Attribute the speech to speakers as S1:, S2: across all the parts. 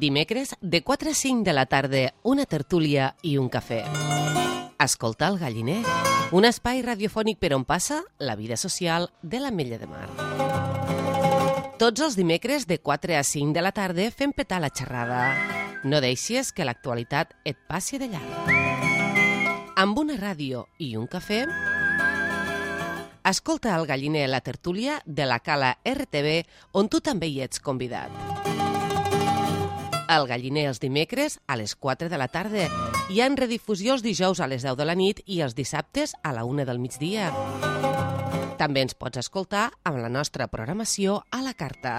S1: Dimecres, de 4 a 5 de la tarda, una tertúlia i un cafè. Escoltar el Galliner, un espai radiofònic per on passa la vida social de l'Ametlla de Mar. Tots els dimecres, de 4 a 5 de la tarda, fem petar la xerrada. No deixis que l'actualitat et passi de llarg. Amb una ràdio i un cafè, escolta el Galliner, la tertúlia de la Cala RTV, on tu també hi ets convidat. El Galliner els dimecres a les 4 de la tarda. Hi ha en redifusió els dijous a les 10 de la nit i els dissabtes a la 1 del migdia. També ens pots escoltar amb la nostra programació a la carta.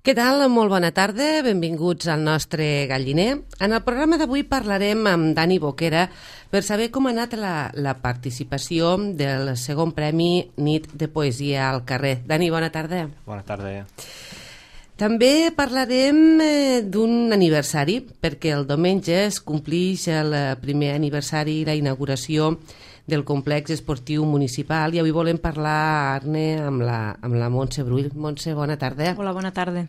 S1: Què tal? Molt bona tarda, benvinguts al nostre Galliner. En el programa d'avui parlarem amb Dani Boquera per saber com ha anat la participació del segon premi Nit de Poesia al carrer. Dani, bona tarda.
S2: Bona tarda.
S1: També parlarem d'un aniversari, perquè el diumenge es complix el primer aniversari i la inauguració del complex esportiu municipal i avui volem parlar, Arne, amb la Montse Brull. Montse, bona tarda.
S3: Hola, bona tarda.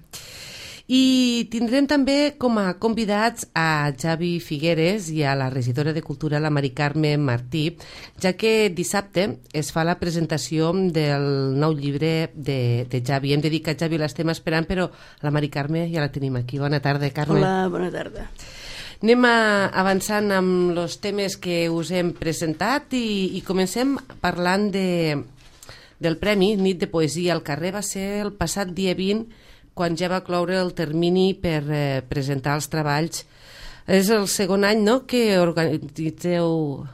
S1: I tindrem també com a convidats a Javi Figueres i a la regidora de Cultura, la Mari Carme Martí, ja que dissabte es fa la presentació del nou llibre de Javi. Hem de dir que a Javi l'estem esperant, però la Mari Carme ja la tenim aquí. Bona tarda, Carme.
S3: Hola, bona tarda.
S1: Anem avançant amb els temes que us hem presentat i comencem parlant del Premi Nit de Poesia al carrer. Va ser el passat dia 20, quan ja va cloure el termini per presentar els treballs. És el segon any, no?, que organitzeu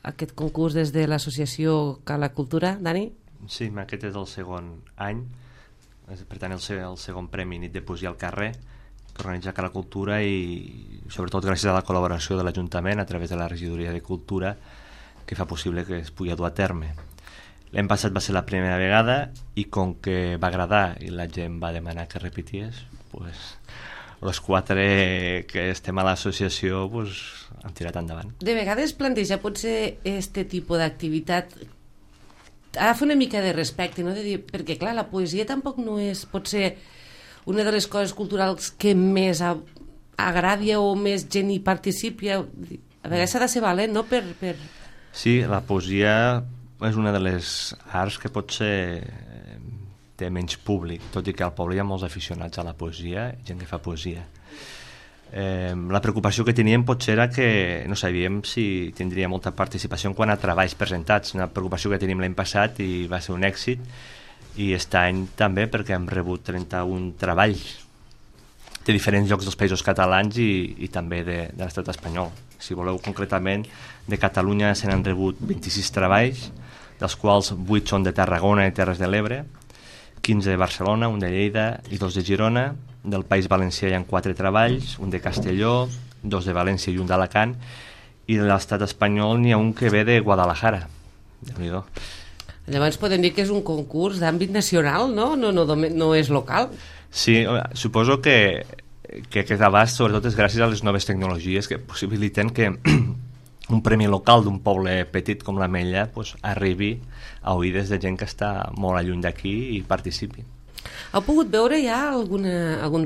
S1: aquest concurs des de l'associació Cala Cultura, Dani?
S2: Sí, aquest és el segon any, per tant el segon Premi Nit de Poesia al carrer, que organitza Cala Cultura i sobretot gràcies a la col·laboració de l'Ajuntament a través de la regidoria de Cultura que fa possible que es pugui dur a terme. L'any passat va ser la primera vegada i com que va agradar i la gent va demanar que repeties, els 4 que estem a l'associació hem tirat endavant.
S1: De vegades planteja potser este tipus d'activitat agafa una mica de respecte, no? De dir, perquè clar, la poesia tampoc no és potser una de les coses culturals que més agradi o més gent hi participi. A vegades s'ha de ser valent, no?
S2: Sí, la poesia és una de les arts que potser té menys públic, tot i que al poble hi ha molts aficionats a la poesia, gent que fa poesia. La preocupació que teníem potser era que no sabíem si tindria molta participació en quant a treballs presentats, una preocupació que teníem l'any passat i va ser un èxit, i aquest any també perquè hem rebut 31 treballs de diferents llocs dels països catalans i també de l'estat espanyol. Si voleu concretament, de Catalunya se n'han rebut 26 treballs, dels quals 8 són de Tarragona i Terres de l'Ebre, 15 de Barcelona, un de Lleida i 2 de Girona. Del País Valencià hi ha 4 treballs, un de Castelló, 2 de València i un d'Alacant, i de l'estat espanyol n'hi ha un que ve de Guadalajara. Déu-n'hi-do.
S1: Llavors podem dir que és un concurs d'àmbit nacional, no? No és local.
S2: Sí, suposo que aquest abast sobretot és gràcies a les noves tecnologies que possibiliten que un premi local d'un poble petit com l'Ametlla arribi a oïdes de gent que està molt lluny d'aquí i participi.
S1: Heu pogut veure ja algun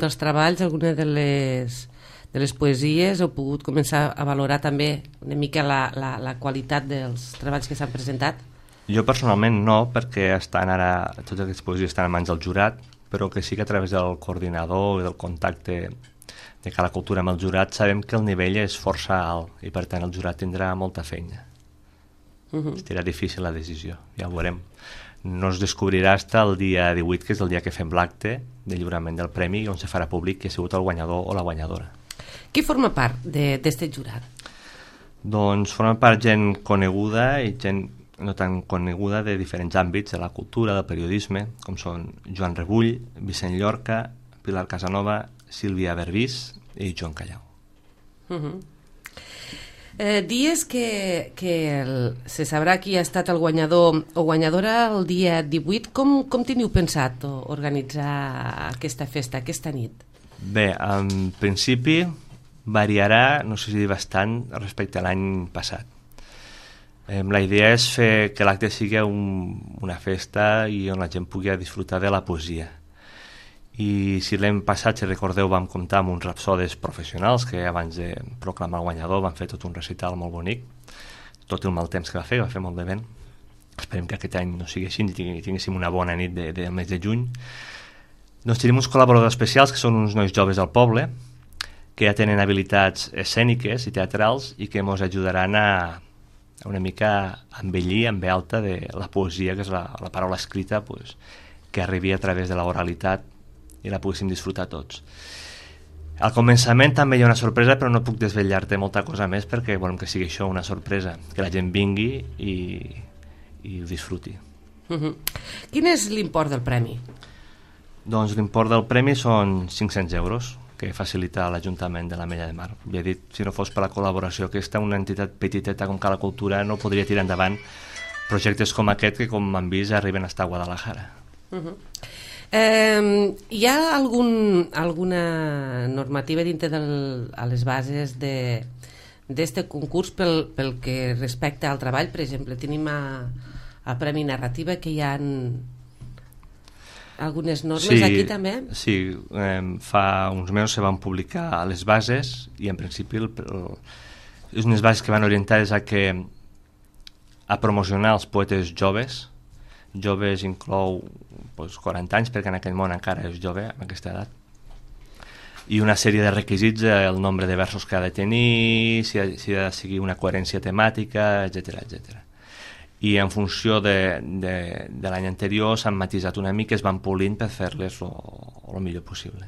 S1: dels treballs, alguna de les poesies? Heu pogut començar a valorar també una mica la qualitat dels treballs que s'han presentat?
S2: Jo personalment no, perquè totes aquestes poesies estan en mans del jurat, però que sí que a través del coordinador i del contacte de Cala Cultura amb el jurat sabem que el nivell és força alt i per tant el jurat tindrà molta feina. Serà difícil la decisió, ja ho veurem. No es descobrirà fins el dia 18, que és el dia que fem l'acte de lliurament del premi, on se farà públic qui ha sigut el guanyador o la guanyadora.
S1: Qui forma part d'aquest jurat?
S2: Doncs forma part gent coneguda i gent no tan coneguda de diferents àmbits de la cultura, del periodisme, com són Joan Rebull, Vicent Llorca, Pilar Casanova, Sílvia Berbís i Joan Callau.
S1: Dies que se sabrà qui ha estat el guanyador o guanyadora el dia 18. Com teniu pensat organitzar aquesta festa, aquesta nit?
S2: Bé, en principi variarà, no sé si dir bastant, respecte a l'any passat. La idea és fer que l'acte sigui una festa i on la gent pugui disfrutar de la poesia. I si l'any passat, si recordeu, vam comptar amb uns rapsodes professionals que abans de proclamar el guanyador van fer tot un recital molt bonic, tot el mal temps que va fer molt de vent. Esperem que aquest any no sigui així i tinguéssim una bona nit del mes de juny. Doncs tenim uns col·laboradors especials que són uns nois joves del poble que ja tenen habilitats escèniques i teatrals i que ens ajudaran a una mica embellir en ve alta de la poesia, que és la paraula escrita, pues, que arribi a través de l'oralitat i la poguéssim disfrutar tots. Al començament també hi ha una sorpresa, però no puc desvetllar-te molta cosa més perquè volem que sigui això una sorpresa, que la gent vingui i ho disfruti.
S1: Quin és l'import del premi?
S2: Doncs l'import del premi són 500 euros, que facilita l'Ajuntament de l'Ametlla de Mar. Ja he dit, si no fos per la col·laboració aquesta, una entitat petiteta com Cala Cultura no podria tirar endavant projectes com aquest que, com han vist, arriben fins a Guadalajara.
S1: Hi ha alguna normativa dintre a les bases d'aquest concurs pel que respecta al treball? Per exemple, tenim a Premi Narrativa que hi ha algunes normes aquí també?
S2: Sí, fa uns mesos se van publicar les bases i en principi és unes bases que van orientades a promocionar els poetes joves. Joves inclou 40 anys perquè en aquell món encara és jove amb aquesta edat, i una sèrie de requisits, el nombre de versos que ha de tenir, si ha de seguir una coherència temàtica, etc. I en funció de l'any anterior s'han matisat una mica, es van polint per fer-les el millor possible.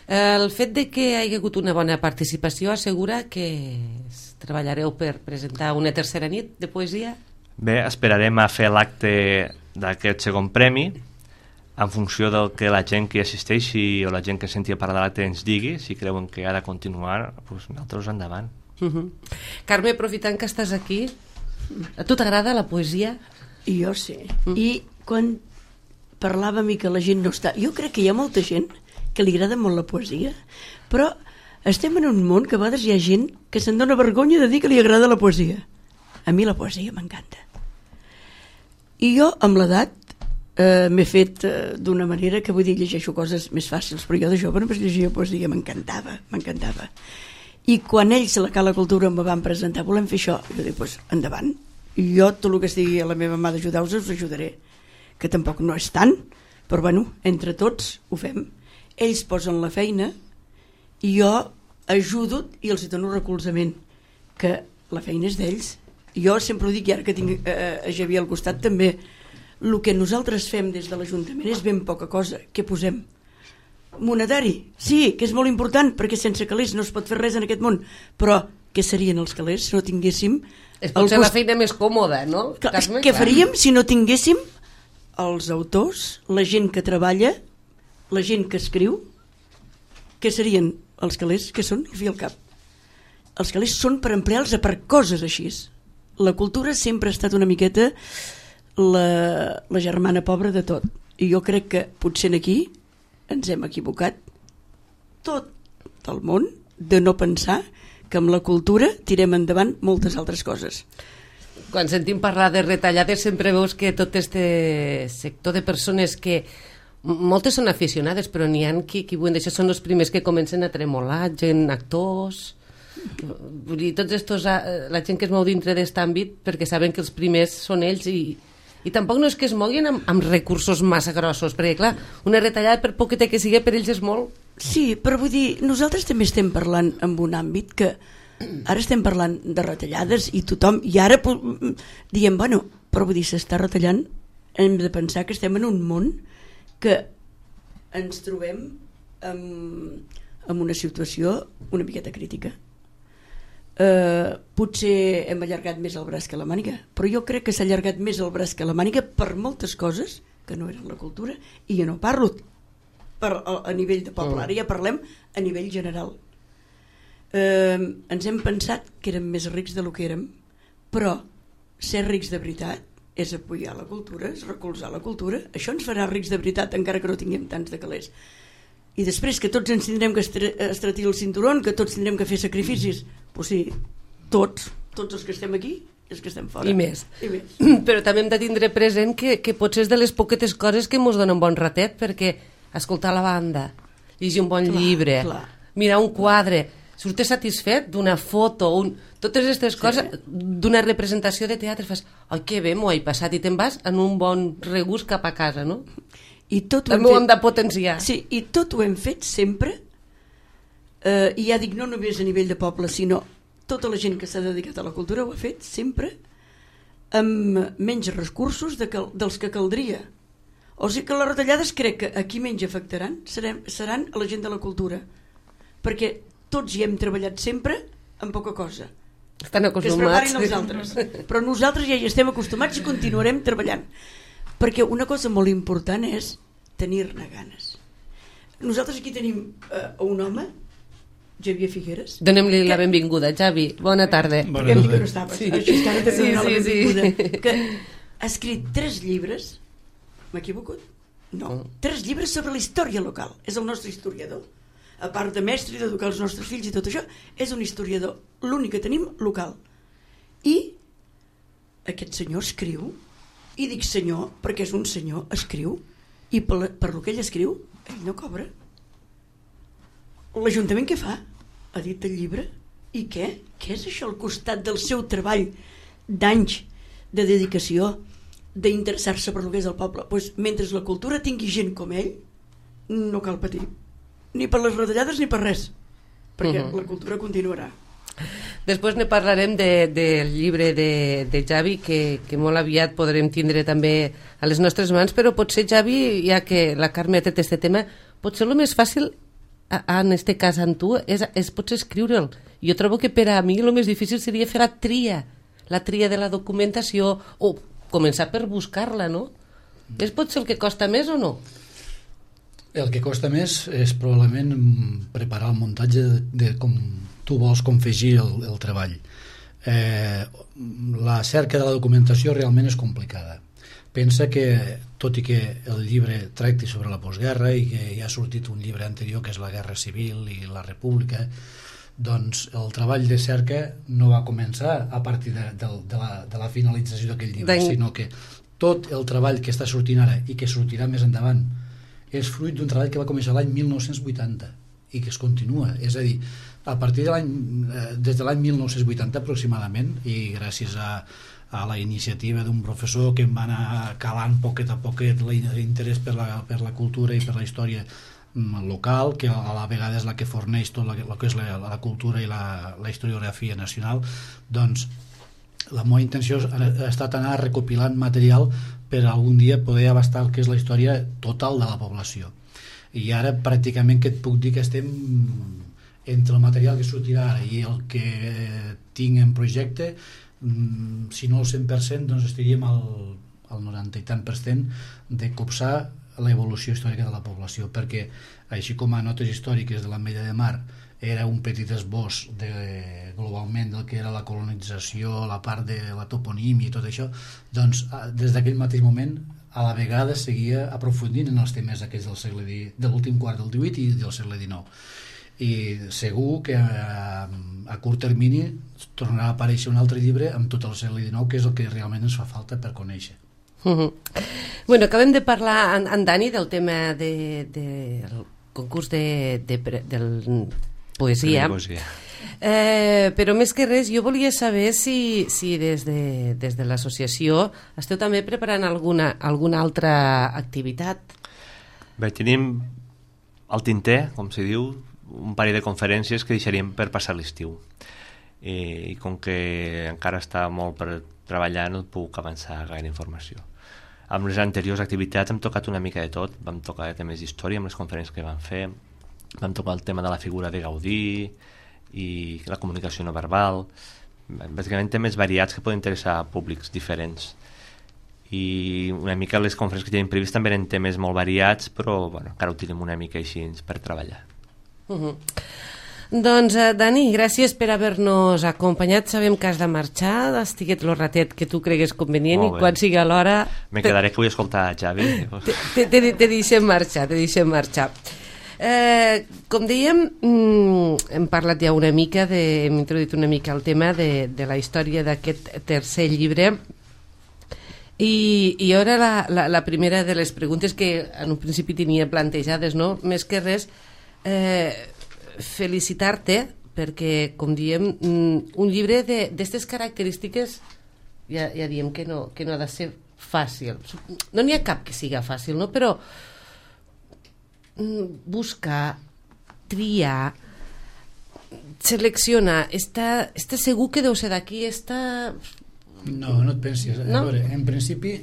S1: El fet de que hi hagi hagut una bona participació assegura que treballareu per presentar una tercera nit de poesia?
S2: Bé, esperarem a fer l'acte d'aquest segon premi en funció del que la gent que hi assisteixi o la gent que senti a parlar de l'acte ens digui. Si creuen que ha de continuar, doncs nosaltres endavant.
S1: Carme, aprofitant que estàs aquí, a tu t'agrada la poesia?
S3: Jo sí. I quan parlàvem i que la gent no està... Jo crec que hi ha molta gent que li agrada molt la poesia, però estem en un món que a vegades hi ha gent que se'n dona vergonya de dir que li agrada la poesia. A mi la poesia m'encanta. I jo, amb l'edat, m'he fet d'una manera que, vull dir, llegeixo coses més fàcils, però jo de jove només llegia poesia, m'encantava. I quan ells a la Cala Cultura em van presentar, volem fer això, jo dic, doncs endavant. Jo tot el que estigui a la meva mà d'ajudar-vos us ajudaré, que tampoc no és tant, però bueno, entre tots ho fem. Ells posen la feina i jo ajudo i els dono recolzament, que la feina és d'ells. Jo sempre ho dic, i ara que tinc a Javier al costat també, el que nosaltres fem des de l'Ajuntament és ben poca cosa. Què posem? Monetari, sí, que és molt important, perquè sense calés no es pot fer res en aquest món, però què serien els calés si no tinguéssim...
S1: És potser la feina més còmoda, no?
S3: Què faríem si no tinguéssim els autors, la gent que treballa, la gent que escriu? Què serien els calés? Què són? El fi al cap. Els calés són per emplear-los per coses així. La cultura sempre ha estat una miqueta la germana pobra de tot. I jo crec que potser aquí ens hem equivocat tot el món de no pensar que amb la cultura tirem endavant moltes altres coses.
S1: Quan sentim parlar de retallades sempre veus que tot este sector de persones que moltes són aficionades, però n'hi ha qui això són els primers que comencen a tremolar, gent, actors, vull dir, tots estos, la gent que es mou dintre d'aquest àmbit perquè saben que els primers són ells i tampoc no és que es moguin amb recursos massa grossos, perquè clar, una retallada per poqueta que sigui per ells és molt.
S3: Sí, però vull dir, nosaltres també estem parlant en un àmbit que ara estem parlant de retallades i tothom, i ara diem, bueno, però vull dir, s'està retallant, hem de pensar que estem en un món que ens trobem en una situació una miqueta crítica. Potser hem allargat més el braç que la màniga, però jo crec que s'ha allargat més el braç que la màniga per moltes coses que no eren la cultura, i jo no parlo a nivell de poble, ara ja parlem a nivell general. Ens hem pensat que érem més rics del que érem, però ser rics de veritat és apoyar la cultura, és recolzar la cultura. Això ens farà rics de veritat, encara que no tinguem tants de calés. I després que tots ens tindrem que estratir el cinturón, que tots tindrem que fer sacrificis, doncs sí, tots els que estem aquí i els que estem fora.
S1: I més. Però també hem de tindre present que potser és de les poquetes coses que ens donen bon ratet, perquè escoltar la banda, llegir un bon llibre, mirar un quadre, surtes satisfet d'una foto, totes aquestes coses, d'una representació de teatre, fas, ai, que bé, m'ho he passat, i te'n vas en un bon regust cap a casa, no?
S3: I
S1: també ho hem de potenciar.
S3: Sí, i tot ho hem fet sempre, i ja dic, no només a nivell de poble, sinó tota la gent que s'ha dedicat a la cultura ho ha fet sempre amb menys recursos dels que caldria. O sigui que les retallades crec que a qui menys afectaran seran a la gent de la cultura, perquè tots hi hem treballat sempre amb poca cosa.
S1: Estan acostumats.
S3: Que es preparin els altres. Però nosaltres ja hi estem acostumats i continuarem treballant. Perquè una cosa molt important és tenir-ne ganes. Nosaltres aquí tenim un home, Xavier Figueres.
S1: Donem-li la benvinguda, Xavi. Bona tarda.
S3: Bona tarda. Que no estava, sí. Així que ara també la benvinguda. Que ha escrit 3 llibres, m'he equivocat? No. 3 llibres sobre la història local. És el nostre historiador. A part de mestre i d'educar els nostres fills i tot això, és un historiador. L'únic que tenim local. I aquest senyor escriu, i dic senyor perquè és un senyor, escriu, i per lo que ell escriu ell no cobra. L'Ajuntament què fa? Ha dit el llibre. I què? Què és això al costat del seu treball d'anys de dedicació, d'interessar-se per lo que és el poble? Pues, mentre la cultura tingui gent com ell, no cal patir, ni per les retallades ni per res, perquè la cultura continuarà.
S1: Després ne parlarem del llibre de Xavi, que molt aviat podrem tindre també a les nostres mans, però potser, Xavi, ja que la Carme ha tret aquest tema, potser el més fàcil, en aquest cas amb tu, és potser escriure'l. Jo trobo que per a mi el més difícil seria fer la tria de la documentació, o començar per buscar-la, no? És potser el que costa més o no?
S4: El que costa més és probablement preparar el muntatge de com tu vols confegir el treball. La cerca de la documentació realment és complicada. Pensa que, tot i que el llibre tracti sobre la postguerra i que ja ha sortit un llibre anterior que és la Guerra Civil i la República, doncs el treball de cerca no va començar a partir de la finalització d'aquell llibre, sinó que tot el treball que està sortint ara i que sortirà més endavant és fruit d'un treball que va començar l'any 1980 i que es continua. És a dir, a partir des de l'any 1980 aproximadament, i gràcies a la iniciativa d'un professor que em va anar calant poquet a poquet l'interès per la cultura i per la història local, que a la vegada és la que forneix tot el que és la cultura i la historiografia nacional, doncs la meva intenció ha estat anar recopilant material per algun dia poder abastar el que és la història total de la població. I ara pràcticament que et puc dir que estem entre el material que sortirà ara i el que tinc en projecte, si no el 100%, doncs estaríem al 90 i tant per cent de copsar l'evolució històrica de la població, perquè així com a notes històriques de l'Ametlla de Mar era un petit esbós globalment del que era la colonització, la part de la toponímia i tot això, doncs des d'aquell mateix moment a la vegada seguia aprofundint en els temes aquells de l'últim quart del XVIII i del segle XIX. I segur que a curt termini tornarà a aparèixer un altre llibre amb tot el segle XIX, que és el que realment ens fa falta per conèixer.
S1: Bueno, acabem de parlar amb Dani del tema del concurs de poesia. Però més que res jo volia saber si des de l'associació esteu també preparant alguna altra activitat.
S2: Bé, tenim al tinter, com se diu, un parell de conferències que deixaríem per passar l'estiu. I com que encara està molt per treballar, no puc avançar gaire informació. Amb les anteriors activitats hem tocat una mica de tot. Vam tocar temes d'història amb les conferències que vam fer, vam tocar el tema de la figura de Gaudí i la comunicació no verbal, bàsicament temes variats que poden interessar a públics diferents. I una mica les conferències que tenim previst també eren temes molt variats, però bueno, encara ho tenim una mica així per treballar.
S1: Doncs Dani, gràcies per haver-nos acompanyat. Sabem que has de marxar, estiguet el ratet que tu cregues convenient i quan sigui l'hora...
S2: Me quedaré que vull escoltar Xavi.
S1: Te deixem marxar, com dèiem, hem parlat ja una mica, hem introduït una mica el tema de la història d'aquest tercer llibre. I ara la primera de les preguntes que en un principi tenia plantejades, no? Més que res, felicitar-te perquè, com diem, un llibre d'aquestes característiques ja diem que no ha de ser fàcil. No n'hi ha cap que siga fàcil, no? Però buscar, triar, seleccionar, està segur que deu ser d'aquí,
S4: No et pensis. No? A veure, en principi,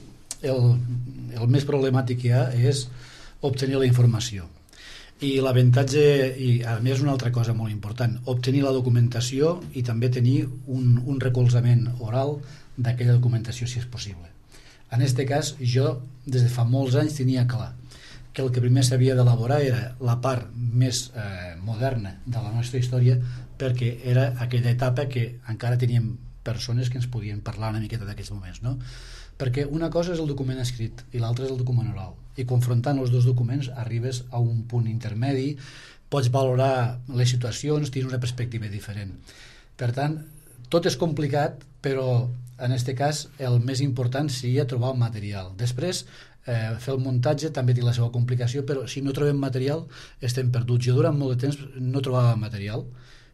S4: el més problemàtic que hi ha és obtenir la informació. I l'avantatge, i a més una altra cosa molt important, obtenir la documentació i també tenir un recolzament oral d'aquella documentació si és possible. En aquest cas, jo des de fa molts anys tenia clar que el que primer s'havia d'elaborar era la part més moderna de la nostra història, perquè era aquella etapa que encara teníem persones que ens podien parlar una miqueta d'aquests moments, no? Perquè una cosa és el document escrit i l'altra és el document oral, i confrontant els dos documents arribes a un punt intermedi, pots valorar les situacions, tens una perspectiva diferent. Per tant, tot és complicat, però en aquest cas el més important seria trobar el material. Després, fer el muntatge també té la seva complicació, però si no trobem material estem perduts. Jo durant molt de temps no trobava material,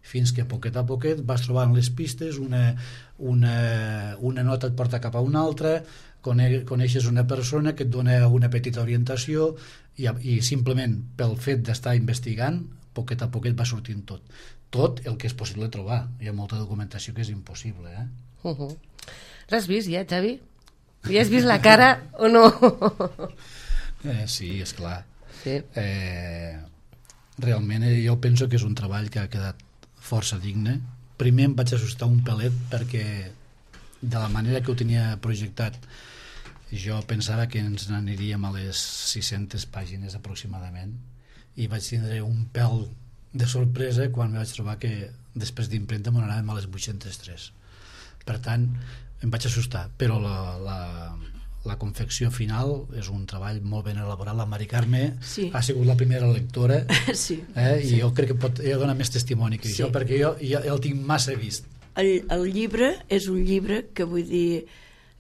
S4: fins que poquet a poquet vas trobant les pistes, una nota et porta cap a una altra, coneixes una persona que et dona una petita orientació i simplement pel fet d'estar investigant, poquet a poquet va sortint tot el que és possible trobar. Hi ha molta documentació que és impossible.
S1: L'has vist ja, Xavi? Ja has vist la cara o no?
S4: Sí, esclar.
S1: Sí.
S4: Realment jo penso que és un treball que ha quedat força digne. Primer em vaig assustar un pelet perquè de la manera que ho tenia projectat jo pensava que ens n'aniríem a les 600 pàgines aproximadament i vaig tindre un pèl de sorpresa quan vaig trobar que després d'impremta m'ho anàvem a les 803. Per tant, em vaig assustar, però la confecció final és un treball molt ben elaborat. La Mari Carme ha sigut la primera lectora i jo crec que ella dona més testimoni que jo, perquè jo el tinc massa vist.
S3: El llibre és un llibre que vull dir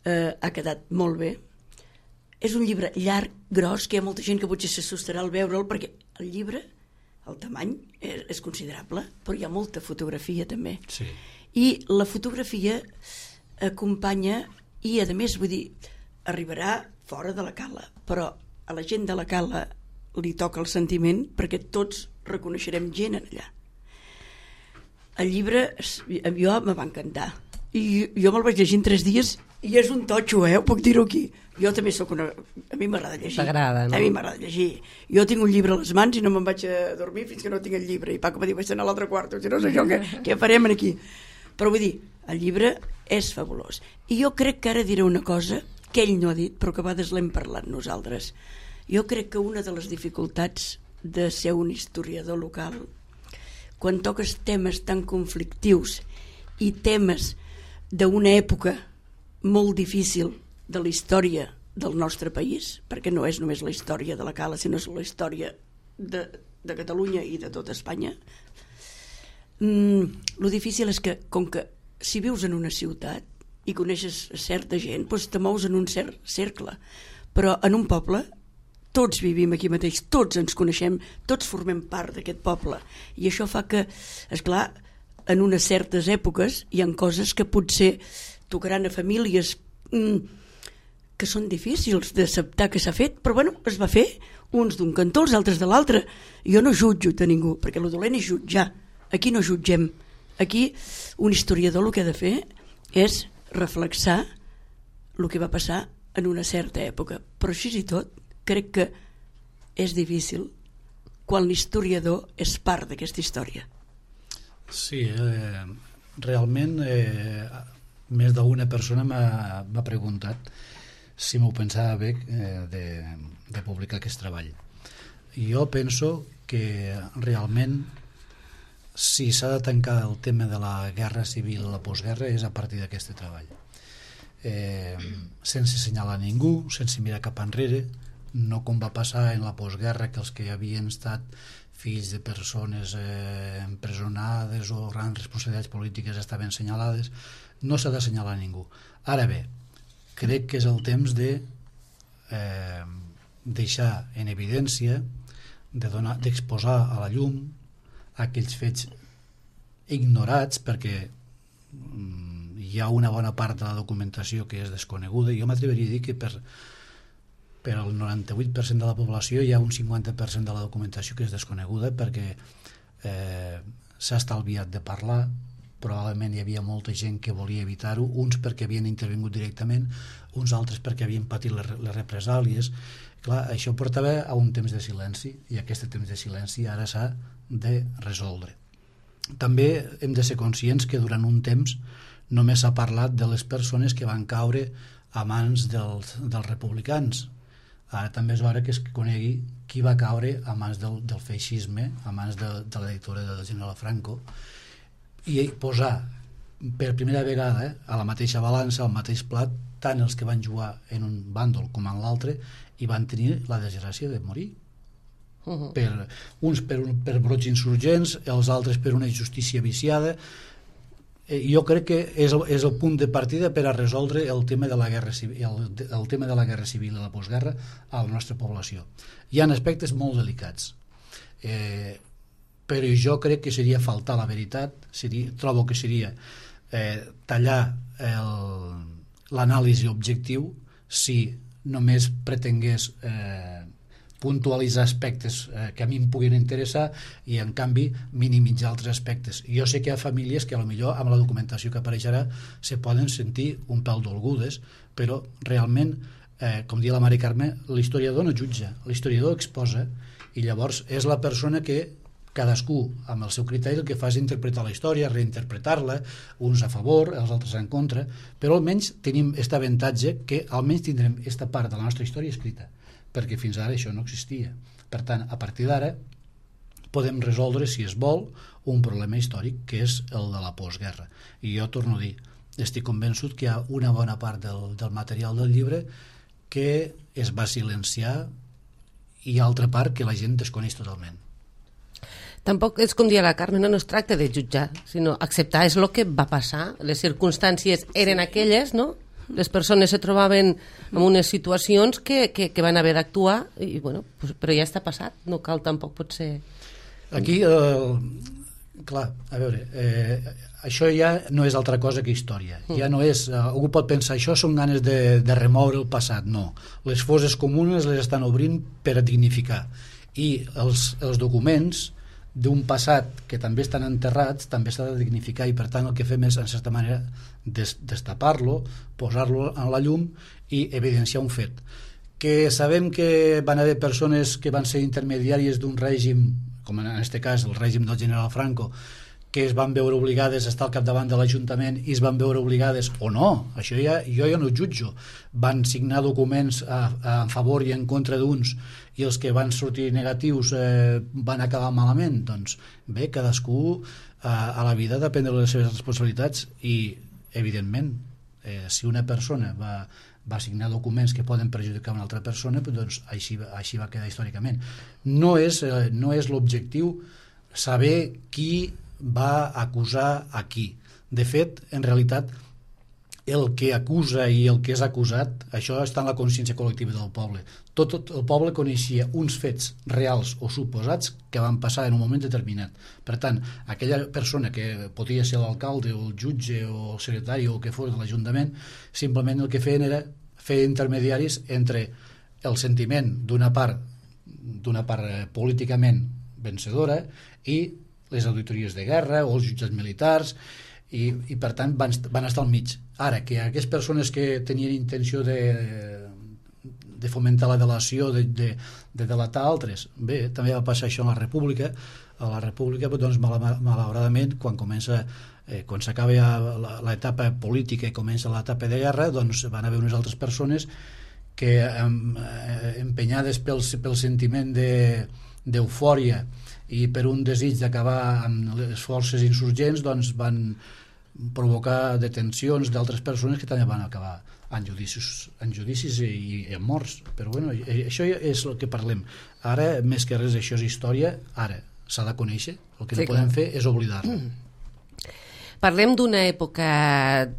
S3: ha quedat molt bé. És un llibre llarg, gros, que hi ha molta gent que potser s'assustarà al veure'l, perquè el llibre, el tamany és considerable, però hi ha molta fotografia també.
S4: Sí.
S3: I la fotografia acompanya i a més vull dir arribarà fora de la cala, però a la gent de la cala li toca el sentiment perquè tots reconeixerem gent allà. El llibre jo me va encantar i jo me'l vaig llegir en 3 dies i és un totxo, ho puc dir-ho aquí. Jo també soc una... A mi m'agrada llegir.
S1: T'agrada, no?
S3: A mi m'agrada llegir. Jo tinc un llibre a les mans i no me'n vaig a dormir fins que no tinc el llibre. I Paco em diu, vaig anar a l'altre quarto, si no sé jo què farem aquí. Però vull dir, el llibre és fabulós. I jo crec que ara diré una cosa que ell no ha dit, però que a vegades l'hem parlat nosaltres. Jo crec que una de les dificultats de ser un historiador local, quan toques temes tan conflictius i temes d'una època molt difícil de la història del nostre país, perquè no és només la història de la Cala, sinó la història de Catalunya i de tota Espanya, lo difícil és que, com que si vius en una ciutat i coneixes certa gent, doncs te mous en un cert cercle, però en un poble tots vivim aquí mateix, tots ens coneixem, tots formem part d'aquest poble, i això fa que, esclar, en unes certes èpoques hi ha coses que potser tocaran a famílies que són difícils d'acceptar que s'ha fet, però bueno, es va fer, uns d'un cantó, els altres de l'altre. Jo no jutjo a ningú, perquè el dolent és jutjar. Aquí no jutgem. Aquí un historiador el que ha de fer és reflexar el que va passar en una certa època. Però així i tot, crec que és difícil quan l'historiador és part d'aquesta història.
S4: Sí, realment més d'una persona m'ha preguntat si m'ho pensava bé de publicar aquest treball. Jo penso que realment si s'ha de tancar el tema de la guerra civil o la postguerra és a partir d'aquest treball. Sense assenyalar ningú, sense mirar cap enrere, no com va passar en la postguerra, que els que havien estat fills de persones empresonades o grans responsabilitats polítiques estaven assenyalades. No s'ha d'assenyalar ningú. Ara bé, crec que és el temps de deixar en evidència, d'exposar a la llum aquells fets ignorats, perquè hi ha una bona part de la documentació que és desconeguda. Jo m'atreviria a dir que per al 98% de la població hi ha un 50% de la documentació que és desconeguda, perquè s'ha estalviat de parlar. Probablement hi havia molta gent que volia evitar-ho, uns perquè havien intervingut directament, uns altres perquè havien patit les represàlies. Clar, això portava a un temps de silenci, i aquest temps de silenci ara s'ha de resoldre. També hem de ser conscients que durant un temps només s'ha parlat de les persones que van caure a mans dels republicans. Ara també és hora que es conegui qui va caure a mans del feixisme, a mans de la dictadura del general Franco, i posar per primera vegada a la mateixa balança, al mateix plat, tant els que van jugar en un bàndol com en l'altre i van tenir la desgràcia de morir. Uns per brots insurgents, els altres per una justícia viciada. Jo crec que és el punt de partida per a resoldre el tema de la guerra civil, el tema de la guerra civil i la postguerra a la nostra població. Hi ha aspectes molt delicats, però jo crec que seria faltar la veritat, trobo que seria tallar l'anàlisi objectiu si només pretengués puntualitzar aspectes que a mi em puguin interessar i en canvi minimitzar altres aspectes. Jo sé que hi ha famílies que potser amb la documentació que apareixerà se poden sentir un pèl dolgudes, però realment, com diu la Mari Carme, l'historiador no jutja, l'historiador exposa, i llavors és la persona que cadascú amb el seu criteri el que fa és interpretar la història, reinterpretar-la, uns a favor, els altres en contra, però almenys tenim aquest avantatge que almenys tindrem aquesta part de la nostra història escrita, perquè fins ara això no existia. Per tant, a partir d'ara podem resoldre, si es vol, un problema històric que és el de la postguerra. I jo torno a dir, estic convençut que hi ha una bona part del material del llibre que es va silenciar i altra part que la gent desconeix totalment.
S1: Tampoc és com dir la Carme, no es tracta de jutjar, sinó acceptar és el que va passar, les circumstàncies eren aquelles, no? Les persones se trobaven en unes situacions que van haver d'actuar, i bueno, però ja està passat, no cal tampoc potser...
S4: Aquí, clar, a veure, això ja no és altra cosa que història, ja no és, algú pot pensar, això són ganes de remoure el passat, no, les fosses comunes les estan obrint per a dignificar, i els documents d'un passat que també estan enterrats també s'ha de dignificar, i per tant el que fem és en certa manera destapar-lo, posar-lo en la llum i evidenciar un fet que sabem que van haver persones que van ser intermediàries d'un règim, com en aquest cas el règim del general Franco, que es van veure obligades a estar al capdavant de l'Ajuntament i es van veure obligades, o no, això jo ja no ho jutjo, van signar documents a favor i en contra d'uns i els que van sortir negatius van acabar malament. Doncs bé, cadascú a la vida depèn de les seves responsabilitats i, evidentment, si una persona va signar documents que poden perjudicar una altra persona, doncs així va quedar històricament. No és l'objectiu saber qui va acusar a qui. De fet, en realitat, el que acusa i el que és acusat, això està en la consciència col·lectiva del poble. Tot el poble coneixia uns fets reals o suposats que van passar en un moment determinat. Per tant, aquella persona que podia ser l'alcalde o el jutge o el secretari o el que fos de l'Ajuntament, simplement el que feien era fer intermediaris entre el sentiment d'una part políticament vencedora i les auditories de guerra o els jutjats militars i per tant van estar al mig. Ara, que aquestes persones que tenien intenció de fomentar la delació, de delatar altres, bé, també va passar això a la República. A la República, doncs, malauradament, quan s'acaba l'etapa política i comença l'etapa de guerra, doncs van haver unes altres persones que, empenyades pel sentiment d'eufòria i per un desig d'acabar amb les forces insurgents, doncs van provocar detencions d'altres persones que també van acabar en judicis i en morts. Però bueno, això és el que parlem. Ara, més que res, això és història. Ara s'ha de conèixer. El que no podem fer és oblidar-la.
S1: Parlem d'una època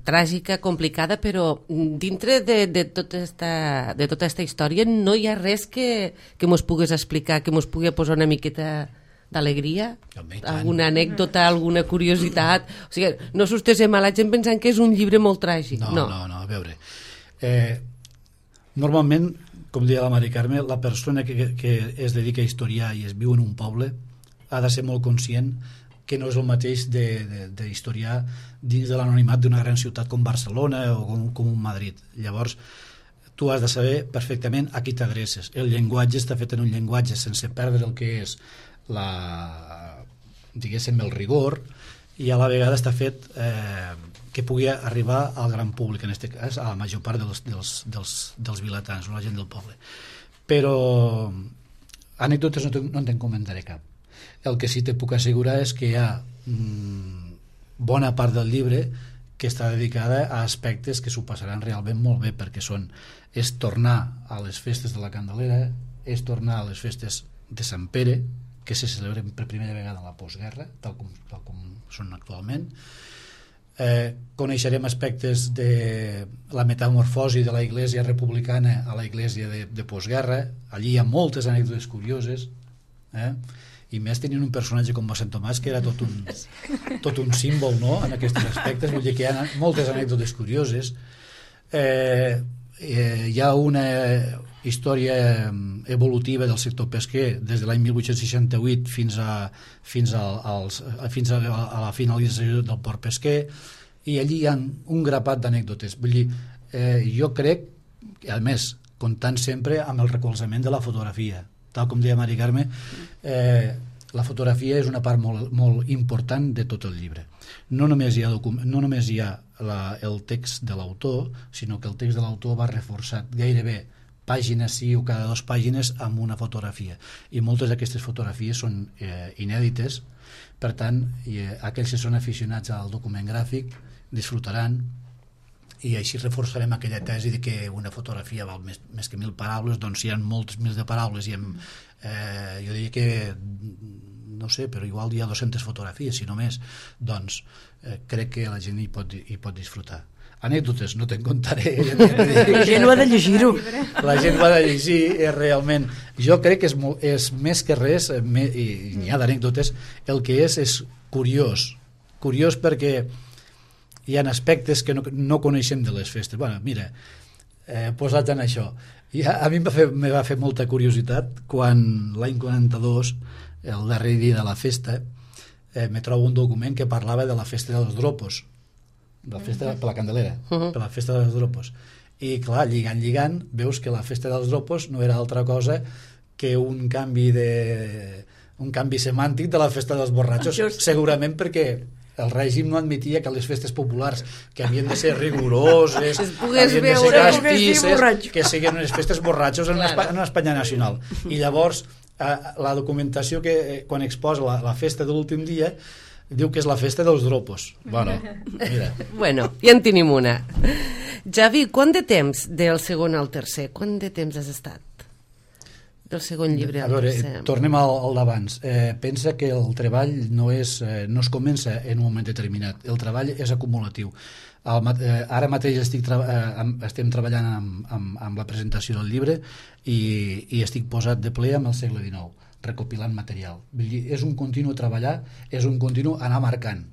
S1: tràgica, complicada, però dintre de tota esta història no hi ha res que mos pugues explicar, que mos pugui posar una miqueta d'alegria? Alguna anècdota, alguna curiositat? O sigui, no s'ustesem a la gent pensant que és un llibre molt tràgic.
S4: No, a veure. Normalment, com deia la Mari Carme, la persona que es dedica a historiar i es viu en un poble ha de ser molt conscient que no és el mateix d'historiar dins de l'anonimat d'una gran ciutat com Barcelona o com un Madrid. Llavors, tu has de saber perfectament a qui t'adreces. El llenguatge està fet en un llenguatge sense perdre el que és diguéssim, el rigor, i a la vegada està fet que pugui arribar al gran públic, en aquest cas a la major part dels vilatans o la gent del poble. Però anècdotes no te'n comentaré cap. El que sí te puc assegurar és que hi ha bona part del llibre que està dedicada a aspectes que s'ho passaran realment molt bé, perquè és tornar a les festes de la Candelera, és tornar a les festes de Sant Pere, que se celebren per primera vegada a la postguerra, tal com són actualment. Coneixerem aspectes de la metamorfosi de la Iglésia republicana a la Iglésia de postguerra. Allí hi ha moltes anècdotes curioses, i més tenint un personatge com Mossèn Tomàs, que era tot un símbol, no?, en aquests aspectes. Vull dir que hi ha moltes anècdotes curioses. Hi ha una història evolutiva del sector pesquer des de l'any 1868 fins a la finalització del port pesquer, i allí hi ha un grapat d'anècdotes. Vull dir, jo crec, a més, comptant sempre amb el recolzament de la fotografia, tal com deia Mari Carme, la fotografia és una part molt important de tot el llibre. No només hi ha el text de l'autor, sinó que el text de l'autor va reforçat gairebé pàgina sí o cada 2 pàgines amb una fotografia, i moltes d'aquestes fotografies són inèdites. Per tant, aquells que són aficionats al document gràfic disfrutaran, i així reforçarem aquella tesi de que una fotografia val més que 1.000 paraules. Doncs hi ha moltes mils de paraules, i jo diria que, no sé, però igual hi ha 200 fotografies, si no més. Doncs crec que la gent hi pot disfrutar. Anècdotes no te'n contaré.
S3: La gent ho ha de llegir-ho.
S4: La gent ho ha de llegir, realment. Jo crec que és més que res, i n'hi ha d'anècdotes, el que és curiós. Curiós perquè hi ha aspectes que no coneixem de les festes. Bueno, mira, posats en això, a mi me va fer molta curiositat quan l'any 42, el darrer dia de la festa, me trobo un document que parlava de la festa dels dropos, de la festa per la Candelera, per la festa dels dropos. I clar, lligant, veus que la festa dels dropos no era altra cosa que un canvi semàntic de la festa dels borratxos, segurament perquè el règim no admetia que les festes populars, que havien de ser rigoroses, havien de ser castisses, que siguin unes festes borratxos en una Espanya nacional. I llavors la documentació que quan exposa la festa de l'últim dia diu que és la festa dels dropos. Bueno, mira.
S1: Bueno, ja en tenim una. Javi, quant de temps del segon al tercer? Quant de temps has estat del segon llibre al tercer?
S4: Tornem al d'abans. Pensa que el treball no es comença en un moment determinat. El treball és acumulatiu. Ara mateix estem treballant amb la presentació del llibre i estic posat de ple amb el segle XIX, recopilant material. Vull dir, és un continu treballar, és un continu anar marcant.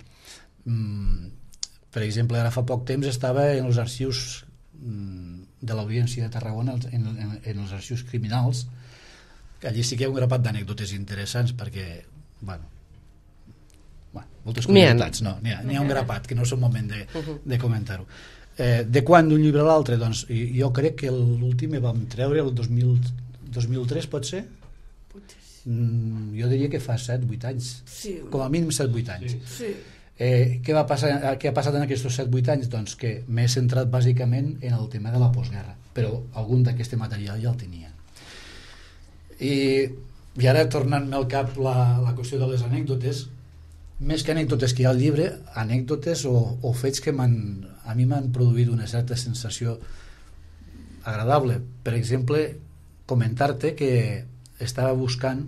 S4: Per exemple, ara fa poc temps estava en els arxius de l'Audiència de Tarragona en els arxius criminals, que allí sí que hi ha un grapat d'anècdotes interessants perquè, moltes curiositats, n'hi ha un grapat que no és el moment de comentar-ho. De quan d'un llibre a l'altre? Doncs jo crec que l'últim vam treure el 2003, pot ser? Jo diria que fa 7-8 anys, com a mínim 7-8 anys. Què ha passat en aquests 7-8 anys? Doncs que m'he centrat bàsicament en el tema de la postguerra, però algun d'aquest material ja el tenia. I ara, tornant-me al cap la qüestió de les anècdotes, més que anècdotes que hi ha al llibre, anècdotes o fets que a mi m'han produït una certa sensació agradable. Per exemple, comentar-te que estava buscant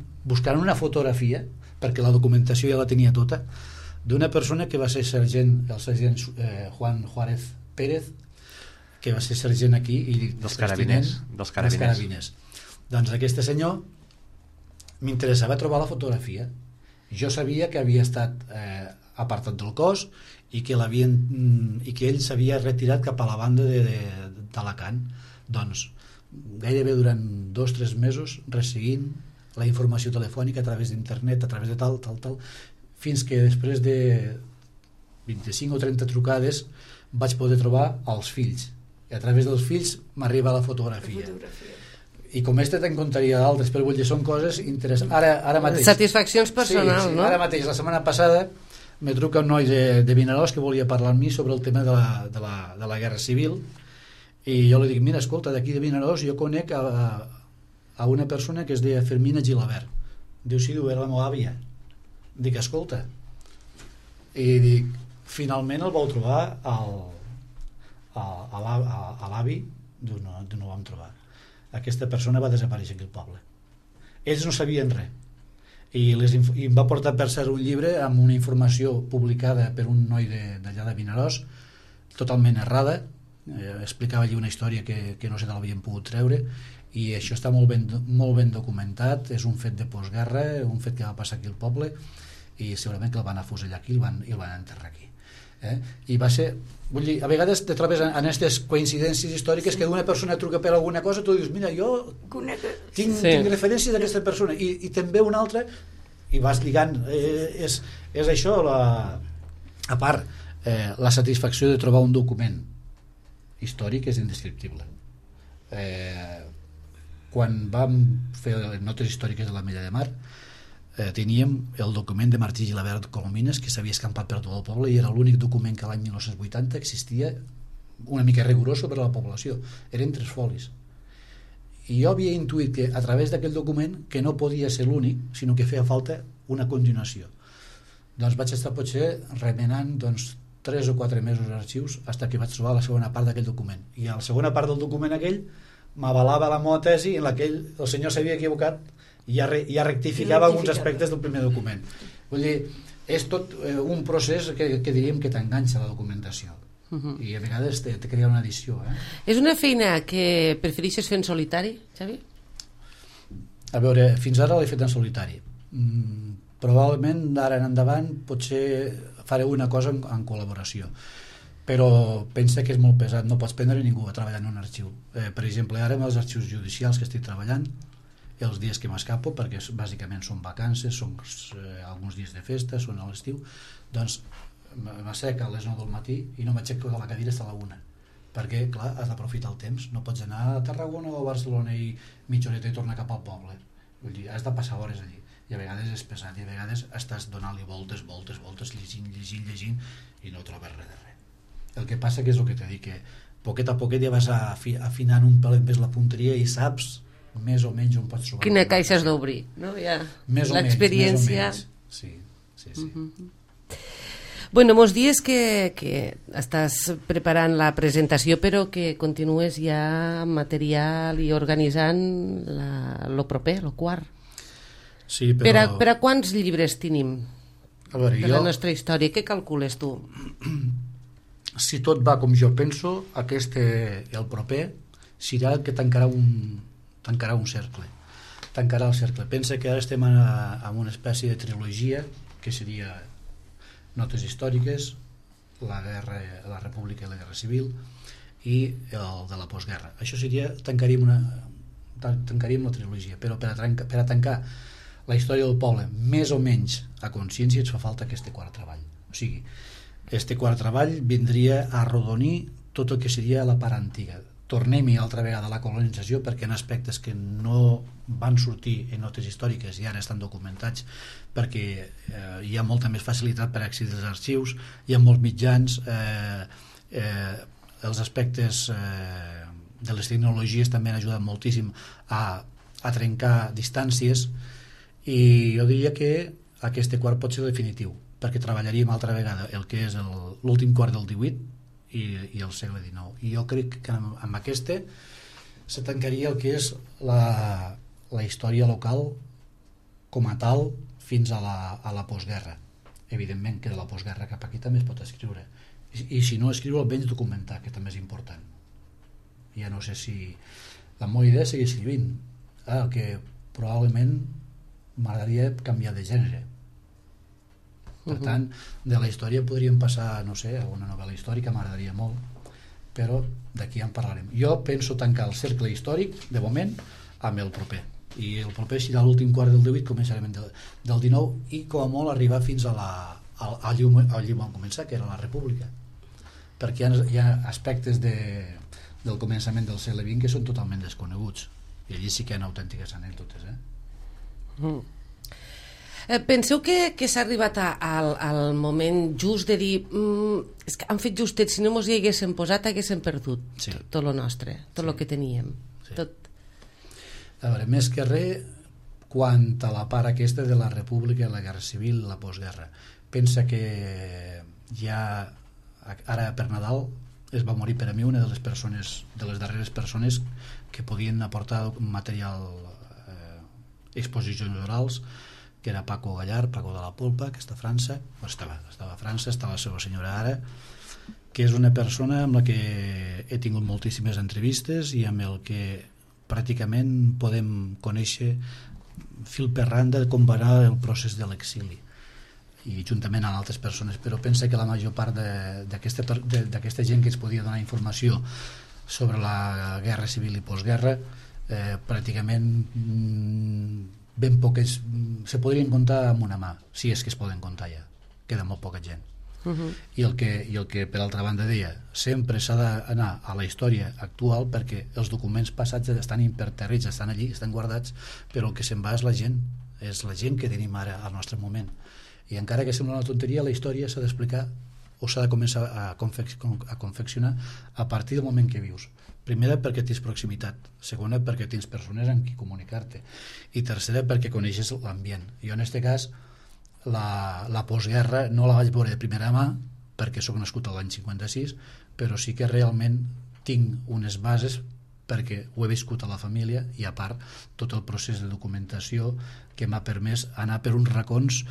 S4: una fotografia, perquè la documentació ja la tenia tota, d'una persona que va ser el sergent Juan Juárez Pérez, que va ser sergent aquí i
S2: dels carabiners.
S4: Doncs aquest senyor m'interessava trobar la fotografia. Jo sabia que havia estat apartat del cos i que ell s'havia retirat cap a la banda d'Alacant. Doncs gairebé durant 2-3 mesos resseguint la informació telefònica a través d'internet, a través de tal, fins que després de 25 o 30 trucades vaig poder trobar els fills, i a través dels fills m'arriba la fotografia. I com te'n contaria d'altres, però vull dir, són coses interessants. Ara mateix,
S1: satisfaccions personals,
S4: sí,
S1: no?
S4: Ara mateix, la setmana passada me truca un noi de Vinaròs que volia parlar amb mi sobre el tema de la Guerra Civil, i jo li dic, mira, escolta, d'aquí de Vinaròs jo conec a una persona que es deia Fermina Gilabert. Diu, sí, era la meva àvia. Dic, escolta, i dic, finalment el vau trobar a l'avi? Diu, no ho vam trobar. Aquesta persona va desaparèixer aquí al poble. Ells no sabien res, i em va portar, per cert, un llibre amb una informació publicada per un noi d'allà de Vinaròs, totalment errada. Explicava allí una història que no sé d'on l'havien pogut treure, i això està molt ben documentat. És un fet de postguerra, un fet que va passar aquí al poble, i segurament que el van afusellar aquí i el van enterrar aquí. I va ser, vull dir, a vegades te trobes en aquestes coincidències històriques que d'una persona truca per alguna cosa, tu dius, mira, jo tinc referències d'aquesta persona, i també una altra, i vas lligant. És això, a part, la satisfacció de trobar un document històric és indescriptible. Quan vam fer notes històriques de l'Ametlla de Mar, teníem el document de Martí Gilabert Colomines, que s'havia escampat per tot el poble, i era l'únic document que l'any 1980 existia una mica rigorós per a la població. Eren 3 folis, i jo havia intuït que a través d'aquell document, que no podia ser l'únic, sinó que feia falta una continuació. Doncs vaig estar potser remenant 3 o 4 mesos d'arxius fins que vaig trobar la segona part d'aquell document, i a la segona part del document aquell m'avalava la meva tesi, en la que el senyor s'havia equivocat i ja rectificava alguns aspectes del primer document. Vull dir, és tot un procés que diríem que t'enganxa la documentació, i a vegades te crea una addició.
S1: És una feina que prefereixes fer en solitari, Xavi?
S4: A veure, fins ara l'he fet en solitari. Probablement d'ara en endavant potser faré una cosa en col·laboració, però pensa que és molt pesat, no pots prendre ningú a treballar en un arxiu. Per exemple, ara amb els arxius judicials que estic treballant, els dies que m'escapo, perquè bàsicament són vacances, són alguns dies de festa, són a l'estiu, doncs m'assec a les 9 del matí i no m'aixeco de la cadira fins a la 1, perquè clar, has d'aprofitar el temps, no pots anar a Tarragona o a Barcelona i mitja horeta i tornar cap al poble. Vull dir, has de passar hores allí, i a vegades és pesat, i a vegades estàs donant-li voltes, llegint i no trobes res de res. El que passa que és el que t'he dit, que poquet a poquet ja vas afinant un pelet més la punteria i saps més o menys on pots trobar.
S1: Quina caixa has d'obrir, no? Ja, l'experiència.
S4: Sí.
S1: Bueno, mos dies que estàs preparant la presentació, però que continues ja amb material i organitzant lo proper, lo quart.
S4: Sí, però...
S1: Per a quants llibres tenim
S4: de
S1: la nostra història? Què calcules tu?
S4: Si tot va com jo penso, el proper serà el que tancarà un cercle. Tancarà el cercle. Pensa que ara estem en una espècie de trilogia, que seria notes històriques, la República i la Guerra Civil, i el de la postguerra. Això seria, tancaríem la trilogia, però per a tancar la història del poble més o menys a consciència ens fa falta aquest quart treball. O sigui, aquest quart treball vindria a arrodonir tot el que seria la part antiga. Tornem-hi altra vegada a la colonització, perquè en aspectes que no van sortir en notes històriques i ara estan documentats, perquè hi ha molta més facilitat per accedir als arxius, hi ha molts mitjans, els aspectes de les tecnologies també han ajudat moltíssim a trencar distàncies, i jo diria que aquest quart pot ser definitiu, perquè treballaríem altra vegada el que és l'últim quart del 18 i el segle XIX, i jo crec que amb aquesta se tancaria el que és la història local com a tal fins a la postguerra. Evidentment que de la postguerra cap aquí també es pot escriure, i si no escriure almenys documentar, que també és important. Ja no sé si la meva idea és seguir escrivint, el que probablement m'agradaria canviar de gènere. Per tant, de la història podríem passar, no sé, a una novel·la històrica, m'agradaria molt, però d'aquí en parlarem. Jo penso tancar el cercle històric, de moment, amb el proper. I el proper serà l'últim quart del 18, començarem del 19, i com a molt arribar fins al llum on començar, que era la República. Perquè hi ha aspectes del començament del segle XX que són totalment desconeguts. I allí sí que hi ha autèntiques anècdotes.
S1: Penseu que s'ha arribat al moment just de dir és que han fet justet, si no mos hi haguéssim posat haguéssim perdut tot lo nostre, tot lo que teníem.
S4: A veure, més que res, quant a la part aquesta de la República, la Guerra Civil, la postguerra, pensa que ja ara per Nadal es va morir per a mi una de les darreres persones que podien aportar material, exposicions orals, que era Paco Gallar, Paco de la Polpa, que està a França, estava a França, està la seva senyora ara, que és una persona amb la que he tingut moltíssimes entrevistes i amb el que pràcticament podem conèixer fil per randa com va anar el procés de l'exili, i juntament amb altres persones. Però pensa que la major part d'aquesta gent que ens podia donar informació sobre la guerra civil i postguerra, pràcticament ben poques se podrien comptar amb una mà, si és que es poden comptar, ja queda molt poca gent. I el que per altra banda deia, sempre s'ha d'anar a la història actual, perquè els documents passats estan imperterrits, estan allí, estan guardats, però el que se'n va és la gent que tenim ara al nostre moment. I encara que sembla una tonteria, la història s'ha d'explicar o s'ha de començar a confeccionar a partir del moment que vius. Primera, perquè tens proximitat. Segona, perquè tens persones amb qui comunicar-te. I tercera, perquè coneixes l'ambient. Jo, en aquest cas, la postguerra no la vaig veure de primera mà, perquè sóc nascut a l'any 56, però sí que realment tinc unes bases perquè ho he viscut a la família, i a part tot el procés de documentació que m'ha permès anar per uns racons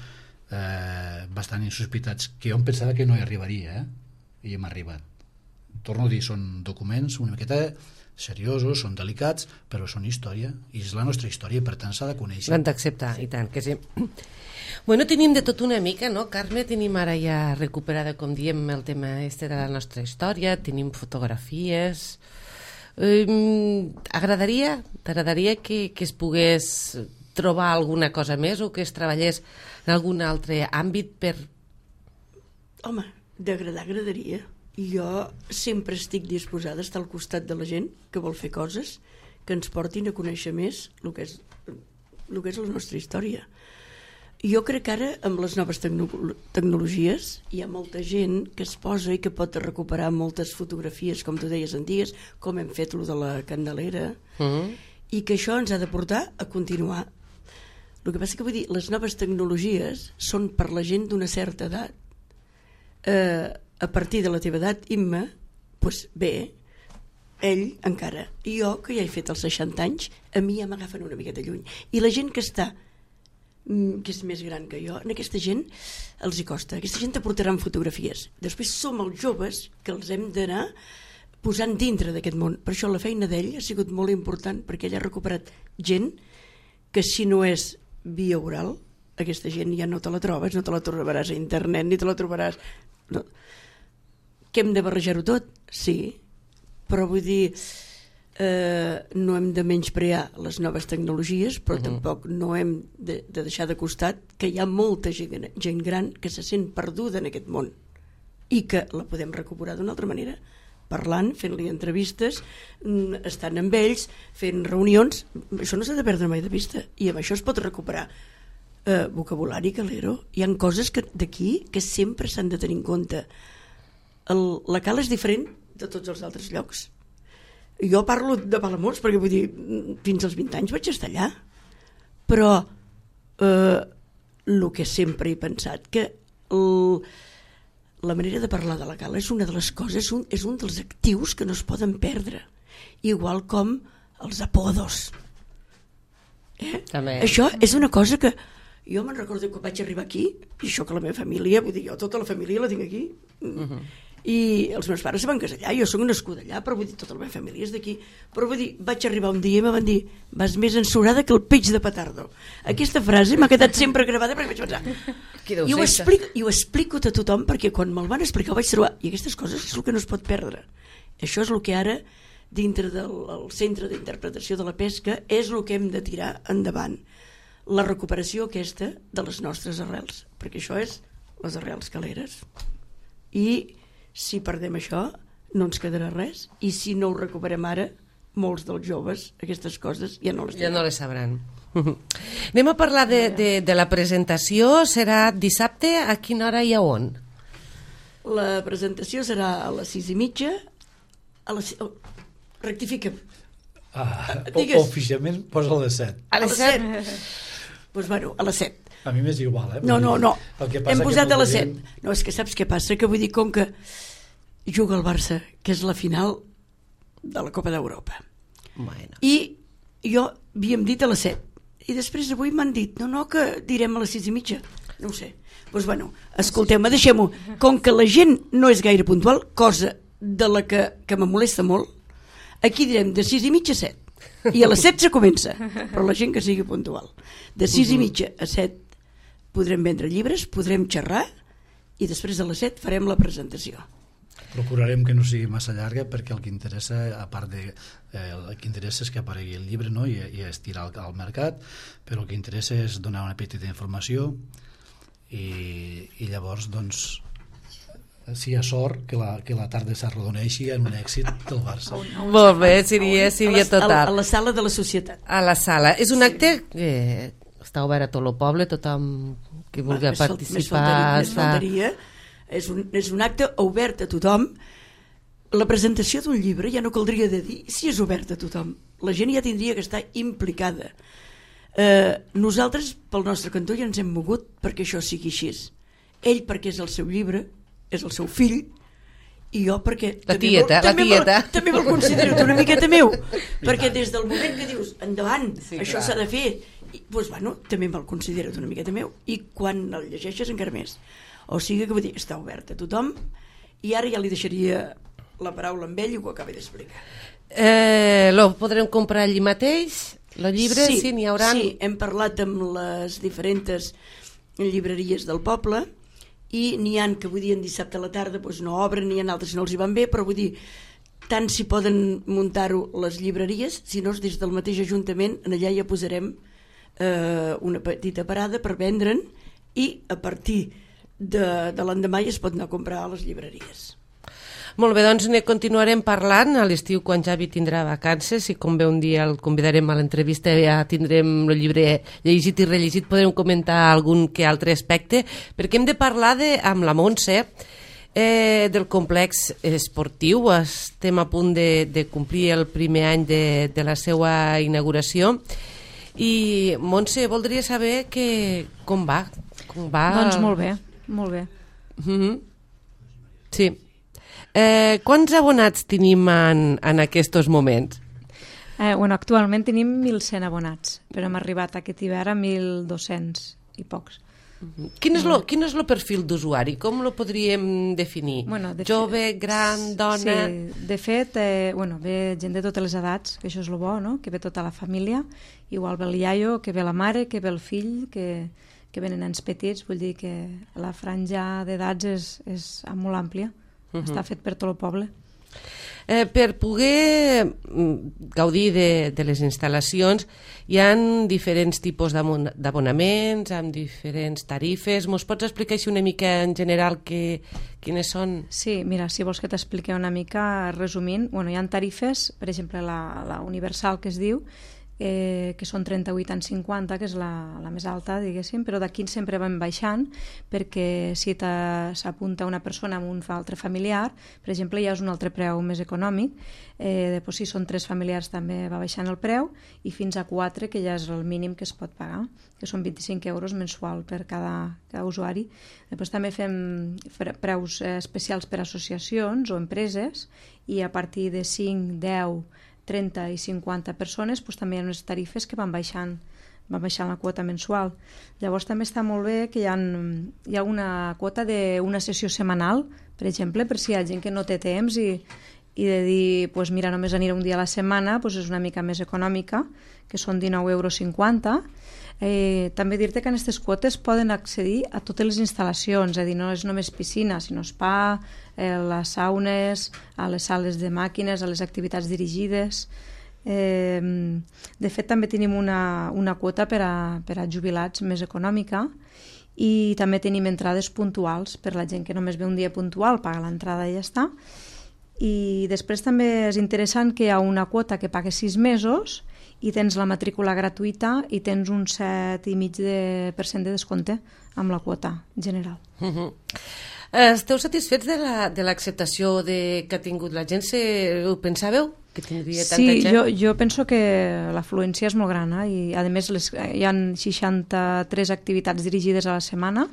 S4: bastant insospitats, que jo em pensava que no hi arribaria, i hem arribat. Torno a dir, són documents una miqueta seriosos, són delicats, però són història, i és la nostra història, per tant s'ha de conèixer.
S1: L'han d'acceptar, i tant que sí. Bueno, tenim de tot una mica, no, Carme? Tenim ara ja recuperada, com diem, el tema de la nostra història, tenim fotografies. T'agradaria que es pogués trobar alguna cosa més, o que es treballés en algun altre àmbit per...
S3: Home, d'agradar agradaria. Jo sempre estic disposada a estar al costat de la gent que vol fer coses que ens portin a conèixer més el que és la nostra història. Jo crec que ara, amb les noves tecnologies, hi ha molta gent que es posa i que pot recuperar moltes fotografies, com tu deies, antigues, com hem fet lo de la Candelera, i que això ens ha de portar a continuar. El que passa que vull dir, les noves tecnologies són per la gent d'una certa edat. A partir de la teva edat, Imma, doncs bé, ell encara. I jo, que ja he fet els 60 anys, a mi ja m'agafen una miqueta lluny. I la gent que està, que és més gran que jo, en aquesta gent els hi costa. Aquesta gent t'aportaran fotografies. Després som els joves que els hem d'anar posant dintre d'aquest món. Per això la feina d'ell ha sigut molt important, perquè ell ha recuperat gent que, si no és via oral, aquesta gent ja no te la trobes, no te la trobaràs a internet, ni te la trobaràs... No. Que hem de barrejar-ho tot? Sí, però vull dir, no hem de menysprear les noves tecnologies, però tampoc no hem de deixar de costat que hi ha molta gent gran que se sent perduda en aquest món i que la podem recuperar d'una altra manera, parlant, fent-li entrevistes, estant amb ells, fent reunions. Això no s'ha de perdre mai de vista, i amb això es pot recuperar vocabulari, calero. Hi ha coses d'aquí que sempre s'han de tenir en compte. La Cala és diferent de tots els altres llocs. Jo parlo de Palamós perquè vull dir, fins als 20 anys vaig estar allà, però el que sempre he pensat que la manera de parlar de la Cala és una de les coses, és un dels actius que no es poden perdre, igual com els apodos. Això és una cosa que jo me'n recordo que vaig arribar aquí, i això que la meva família, vull dir, jo tota la família la tinc aquí, i els meus pares se van casar allà, jo soc nascuda allà, però vull dir, tota la meva família és d'aquí, però vull dir, vaig arribar un dia i me van dir, vas més ensorada que el peix de petardo. Aquesta frase m'ha quedat sempre gravada perquè vaig pensar, i ho explico a tothom, perquè quan me'l van explicar vaig trobar, i aquestes coses és el que no es pot perdre. Això és el que ara, dintre del centre d'interpretació de la pesca, és el que hem de tirar endavant, la recuperació aquesta de les nostres arrels, perquè això és les arrels caleres. I si perdem això, no ens quedarà res, i si no ho recuperem ara, molts dels joves aquestes coses ja no les tenen.
S1: Ja no les sabran. Anem a parlar de la presentació. Serà dissabte, a quina hora i a on?
S3: La presentació serà a les 6:30, rectifica'm.
S4: Oficialment posa a les 7.
S3: A les 7? Doncs bueno, a les 7.
S4: A mi m'és igual,
S3: No, hem posat a les 7. No, és que saps què passa? Que vull dir, com que juga el Barça, que és la final de la Copa d'Europa.
S1: Bueno.
S3: I jo havíem dit a les 7. I després avui m'han dit, no, que direm a les 6:30. No ho sé. Doncs bueno, escolteu-me, deixem-ho. Com que la gent no és gaire puntual, cosa de la que me molesta molt, aquí direm de 6:30 a 7. I a les 7 se comença, però la gent que sigui puntual. De 6:30 a 7 podrem vendre llibres, podrem xerrar, i després a les 7 farem la presentació.
S4: Procurarem que no sigui massa llarga, perquè el que interessa, a part de el que interessa és que aparegui el llibre, no? I estirar al mercat, però el que interessa és donar una petita informació i llavors, doncs, si hi ha sort, que la tarda s'arrodoneixi en un èxit del Barça.
S1: Molt bé, seria total.
S3: A la sala de la Societat.
S1: A la sala. És un acte que està obert a tot el poble, tothom que vulgui participar.
S3: Més faltaria. És un acte obert a tothom. La presentació d'un llibre ja no caldria de dir si és obert a tothom. La gent ja tindria que estar implicada. Nosaltres, pel nostre cantó, ja ens hem mogut perquè això sigui així. Ell perquè és el seu llibre, és el seu fill, i jo perquè també me'l considero una miqueta meu, perquè des del moment que dius endavant, això s'ha de fer, doncs bueno, també me'l considero una miqueta meu, i quan el llegeixes encara més. O sigui que vull dir, està obert a tothom, i ara ja li deixaria la paraula amb ell i ho acaba d'explicar.
S1: Lo podrem comprar allí mateix, el llibre? Sí, n'hi haurà...
S3: Sí, hem parlat amb les diferents llibreries del poble, i n'hi ha que vull dir en dissabte a la tarda doncs no obren, n'hi ha altres que no els hi van bé, però vull dir, tant si poden muntar-ho les llibreries, si no des del mateix Ajuntament, en allà ja posarem una petita parada per vendre'n, i a partir de l'endemà ja es pot anar a comprar a les llibreries.
S1: Molt bé, doncs ne continuarem parlant a l'estiu quan Javi tindrà vacances, i com bé un dia el convidarem a l'entrevista ja tindrem el llibre llegit i rellegit, podrem comentar algun que altre aspecte, perquè hem de parlar amb la Montse del complex esportiu. Estem a punt de complir el primer any de la seva inauguració, i Montse, voldria saber com va.
S5: Doncs molt bé, molt bé.
S1: Sí. Quants abonats tenim en aquests moments?
S5: Actualment tenim 1.100 abonats, però hem arribat aquest hivern a 1.200 i pocs.
S1: Quin és el perfil d'usuari? Com lo podríem definir? Jove, gran, dona?
S5: Sí, de fet, ve gent de totes les edats, que això és el bo, no? Que ve tota la família, igual ve el iaio, que ve la mare, que ve el fill, que venen nens petits, vull dir que la franja d'edats és molt àmplia. Està fet per tot el poble.
S1: Per poder gaudir de les instal·lacions hi ha diferents tipus d'abonaments, amb diferents tarifes. Mos pots explicar així una mica en general quines són?
S5: Sí, mira, si vols que t'expliqui una mica resumint, hi ha tarifes, per exemple la universal que es diu, que són 38 en 50, que és la més alta, diguéssim, però d'aquí sempre van baixant, perquè si s'apunta una persona amb un altre familiar, per exemple, ja és un altre preu més econòmic, si són 3 familiars també va baixant el preu, i fins a 4, que ja és el mínim que es pot pagar, que són 25 euros mensual per cada usuari. Després també fem preus especials per associacions o empreses, i a partir de 5, 10, 30 i 50 persones també hi ha unes tarifes que van baixant la quota mensual. Llavors també està molt bé que hi ha una quota d'una sessió setmanal, per exemple, per si hi ha gent que no té temps i de dir, mira, només aniré un dia a la setmana, és una mica més econòmica, que són 19,50 €. També dir-te que en aquestes quotes poden accedir a totes les instal·lacions, és a dir, no és només piscina, sinó spa, les saunes, a les sales de màquines, a les activitats dirigides. De fet, també tenim una quota per a jubilats més econòmica, i també tenim entrades puntuals per la gent que només ve un dia puntual, paga l'entrada i ja està. I després també és interessant que hi ha una quota que paga 6 mesos i tens la matrícula gratuïta i tens un 7,5% de descompte amb la quota general.
S1: Esteu satisfets de l'acceptació que ha tingut la gent? Ho pensàveu? Que tindria tanta gent?
S5: Sí, jo penso que l'afluència és molt gran, i a més hi ha 63 activitats dirigides a la setmana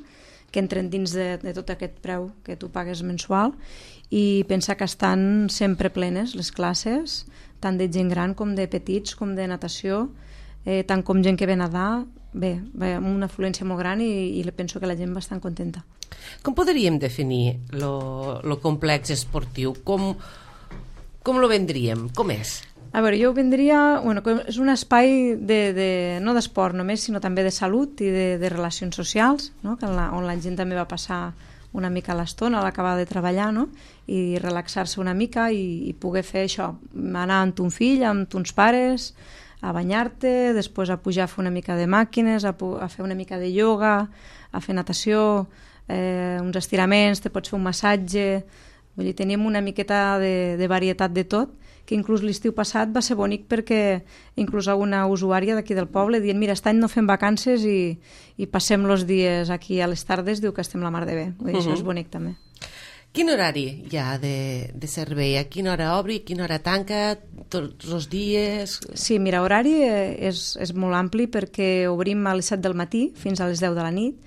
S5: que entren dins de tot aquest preu que tu pagues mensual, i pensa que estan sempre plenes les classes, tant de gent gran com de petits, com de natació, tant com gent que ve a nedar. Bé, amb una afluència molt gran, i penso que la gent va estar contenta.
S1: Com podríem definir lo complex esportiu? Com lo vendríem? Com és?
S5: A veure, jo ho vendria... és un espai no d'esport només, sinó també de salut i de relacions socials, no? On la gent també va passar una mica l'estona a l'acabar de treballar, no? I relaxar-se una mica i poder fer això, anar amb ton fill, amb tons pares, a banyar-te, després a pujar a fer una mica de màquines, a fer una mica de ioga, a fer natació, uns estiraments, te pots fer un massatge. Vull dir, teníem una miqueta de varietat de tot, que inclús l'estiu passat va ser bonic perquè inclús alguna usuària d'aquí del poble dient, mira, aquest any no fem vacances i passem els dies aquí a les tardes, diu que estem la mar de bé. Vull dir, això és bonic també.
S1: Quin horari hi ha de servei? A quina hora obri, a quina hora tanca, tots els dies?
S5: Sí, mira, horari és molt ampli perquè obrim a les 7 del matí fins a les 10 de la nit,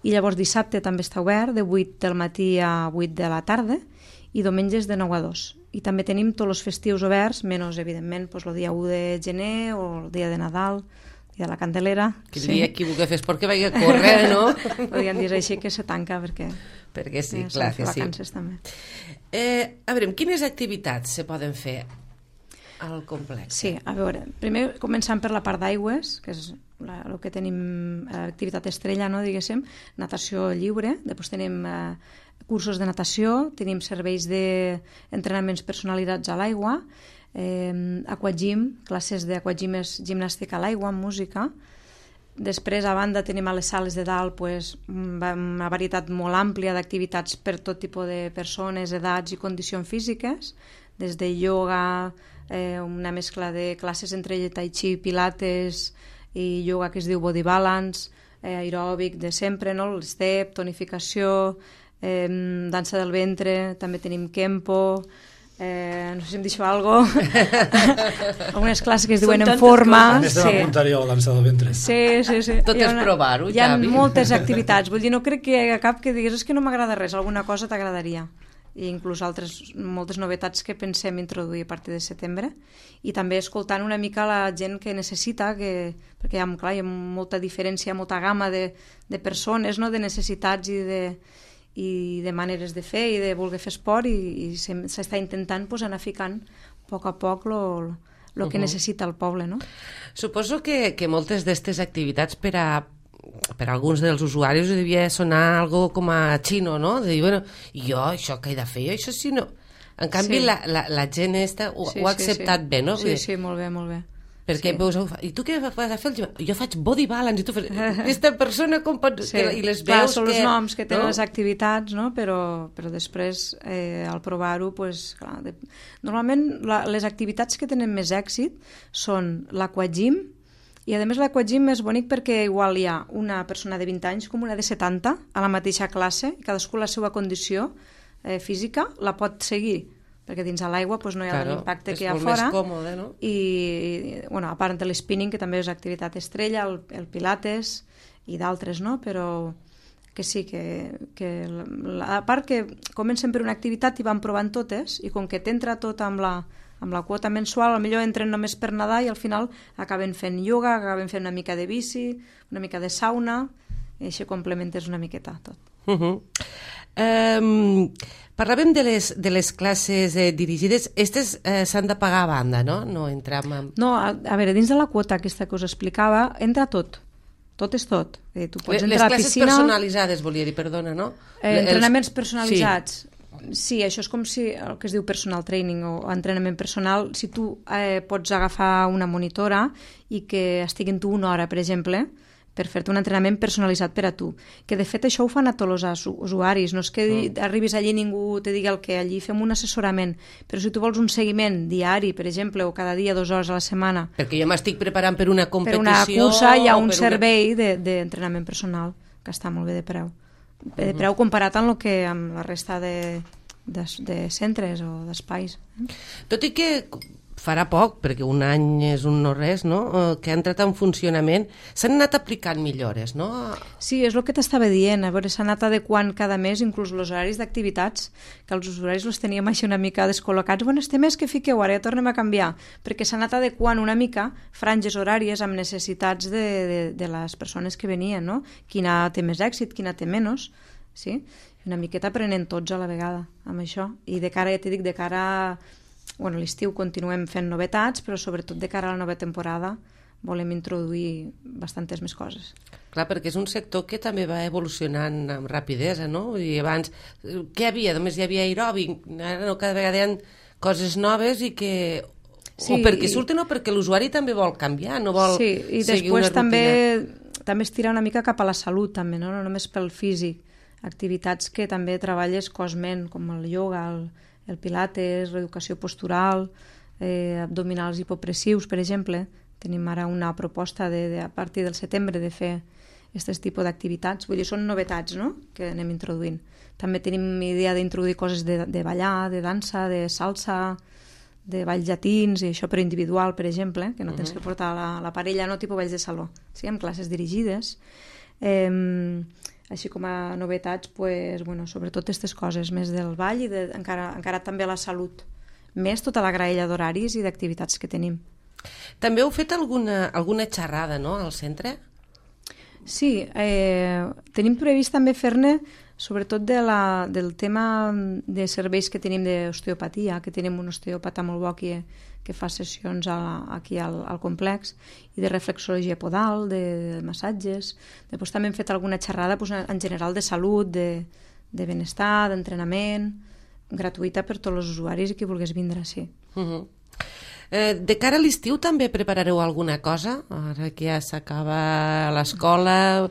S5: i llavors dissabte també està obert de 8 del matí a 8 de la tarda, i diumenges de 9 a 2. I també tenim tots els festius oberts, menys, evidentment, el dia 1 de gener o el dia de Nadal, el dia de la Candelera.
S1: Que dia qui vulgui fer esport que vagi a córrer, no?
S5: Podríem dir així que se tanca perquè
S1: sí, clar que sí.
S5: Vacances també.
S1: A veure, quines activitats se poden fer al complex?
S5: Sí, a veure, primer començant per la part d'aigües, que és el que tenim, activitat estrella, no, diguéssim, natació lliure, després tenim cursos de natació, tenim serveis d'entrenaments personalitzats a l'aigua, aquagym, classes d'aquagym és gimnàstica a l'aigua, amb música. Després, a banda, tenim a les sales de dalt una varietat molt àmplia d'activitats per tot tipus de persones, edats i condicions físiques, des de ioga, una mescla de classes entre tai chi, pilates i ioga que es diu body balance, aeròbic de sempre, no? El step, tonificació, dansa del ventre, també tenim Kempo, no sé si em deixo alguna cosa, algunes classes que es diuen en forma.
S4: Més de l'apuntar jo a dansa del ventre.
S5: Sí.
S1: Tot és provar-ho,
S5: Javi. Hi ha moltes activitats, vull dir, no crec que hi hagi cap que digués que no m'agrada res, alguna cosa t'agradaria. I inclús moltes novetats que pensem introduir a partir de setembre, i també escoltant una mica la gent que necessita, perquè hi ha molta diferència, molta gamma de persones, no? De necessitats i de maneres de fer i de voler fer esport, i s'està intentant anar ficant a poc el que necessita el poble, no?
S1: Suposo que moltes d'aquestes activitats per alguns dels usuaris devia sonar algo com a xino, no? De dir, bueno, jo això què he de fer? Jo això sí no... En canvi,
S5: Sí.
S1: la gent ho ha acceptat bé, no?
S5: Sí, molt bé, molt bé.
S1: Perquè veus, i tu què vas a fer? Jo faig body balance, i tu fas... Aquesta persona com pot...
S5: Sí.
S1: I les
S5: Clar,
S1: veus
S5: són els noms que tenen
S1: no?
S5: les activitats, no? Però després, al provar-ho, pues, clar, normalment les activitats que tenen més èxit són l'aquagym, i a més l'aquagym és bonic perquè igual hi ha una persona de 20 anys com una de 70 a la mateixa classe, i cadascú la seva condició física la pot seguir, perquè dins de l'aigua no hi ha l'impacte que hi ha fora.
S1: És molt més còmode, no?
S5: I a part de l'spinning, que també és activitat estrella, el pilates i d'altres, no? Però que sí, a part que comencen per una activitat i van provant totes, i com que t'entra tot amb la quota mensual, potser entren només per nedar i al final acaben fent ioga, acaben fent una mica de bici, una mica de sauna, i així complementes una miqueta tot.
S1: Parlàvem de les classes dirigides. Aquestes s'han de pagar a banda, no? No entram en...
S5: No, a veure, dins de la quota aquesta que us explicava, entra tot. Tot és tot. Tu pots entrar a
S1: classes
S5: piscina...
S1: personalitzades, volia dir, perdona, no?
S5: Entrenaments personalitzats. Sí, això és com si el que es diu personal training o entrenament personal, si tu pots agafar una monitora i que estigui en tu una hora, per exemple, per fer-te un entrenament personalitzat per a tu. Que de fet això ho fan a tots els usuaris, no és que arribis allí i ningú te digui el que, allí fem un assessorament, però si tu vols un seguiment diari, per exemple, o cada dia 2 hores a la setmana...
S1: Perquè jo m'estic preparant per una competició...
S5: Per una cursa hi ha un servei d'entrenament personal, que està molt bé de preu. De preu comparat amb la resta de centres o d'espais.
S1: Tot i que farà poc, perquè un any és un no res, no? Que ha entrat en funcionament, s'han anat aplicant millores, no?
S5: Sí, és el que t'estava dient, a veure, s'ha anat adequant cada mes inclús els horaris d'activitats, que els usuaris els teníem així una mica descol·locats. Bueno, este mes que fiqueu, ara ja tornem a canviar, perquè s'ha anat adequant una mica franges horàries amb necessitats de les persones que venien, no? Quina té més èxit, quina té menys, sí? Una miqueta aprenent tots a la vegada amb això. I de cara, ja t'he dit, de cara a l'estiu continuem fent novetats, però sobretot de cara a la nova temporada volem introduir bastantes més coses.
S1: Clar, perquè és un sector que també va evolucionant amb rapidesa, no? I abans, què hi havia? Només hi havia aeròbic, ara no, cada vegada hi ha coses noves i que... Sí, o perquè surten o perquè l'usuari també vol canviar, no vol
S5: i
S1: seguir una
S5: rutina. També estirar una mica cap a la salut, també, no només pel físic. Activitats que també treballes cos-ment, com el ioga, el pilates, l'educació postural, abdominals hipopressius, per exemple. Tenim ara una proposta a partir del setembre de fer aquest tipus d'activitats. Vull dir, són novetats, no?, que anem introduint. També tenim idea d'introduir coses de ballar, de dansa, de salsa, de balls llatins, i això per individual, per exemple, que no tens que portar la parella, no tipus balls de saló. Sí, amb classes dirigides. Així com a novetats, sobretot aquestes coses, més del ball i encara també la salut, més tota la graella d'horaris i d'activitats que tenim.
S1: També heu fet alguna xerrada, no?, al centre?
S5: Sí, tenim previst també fer-ne sobretot del tema de serveis que tenim d'osteopatia, que tenim un osteòpata molt bo que fa sessions aquí al complex, i de reflexologia podal, de massatges. Després també hem fet alguna xerrada en general de salut, de benestar, d'entrenament, gratuïta per tots els usuaris i qui volgués vindre, sí.
S1: De cara a l'estiu també preparareu alguna cosa? Ara que ja s'acaba l'escola,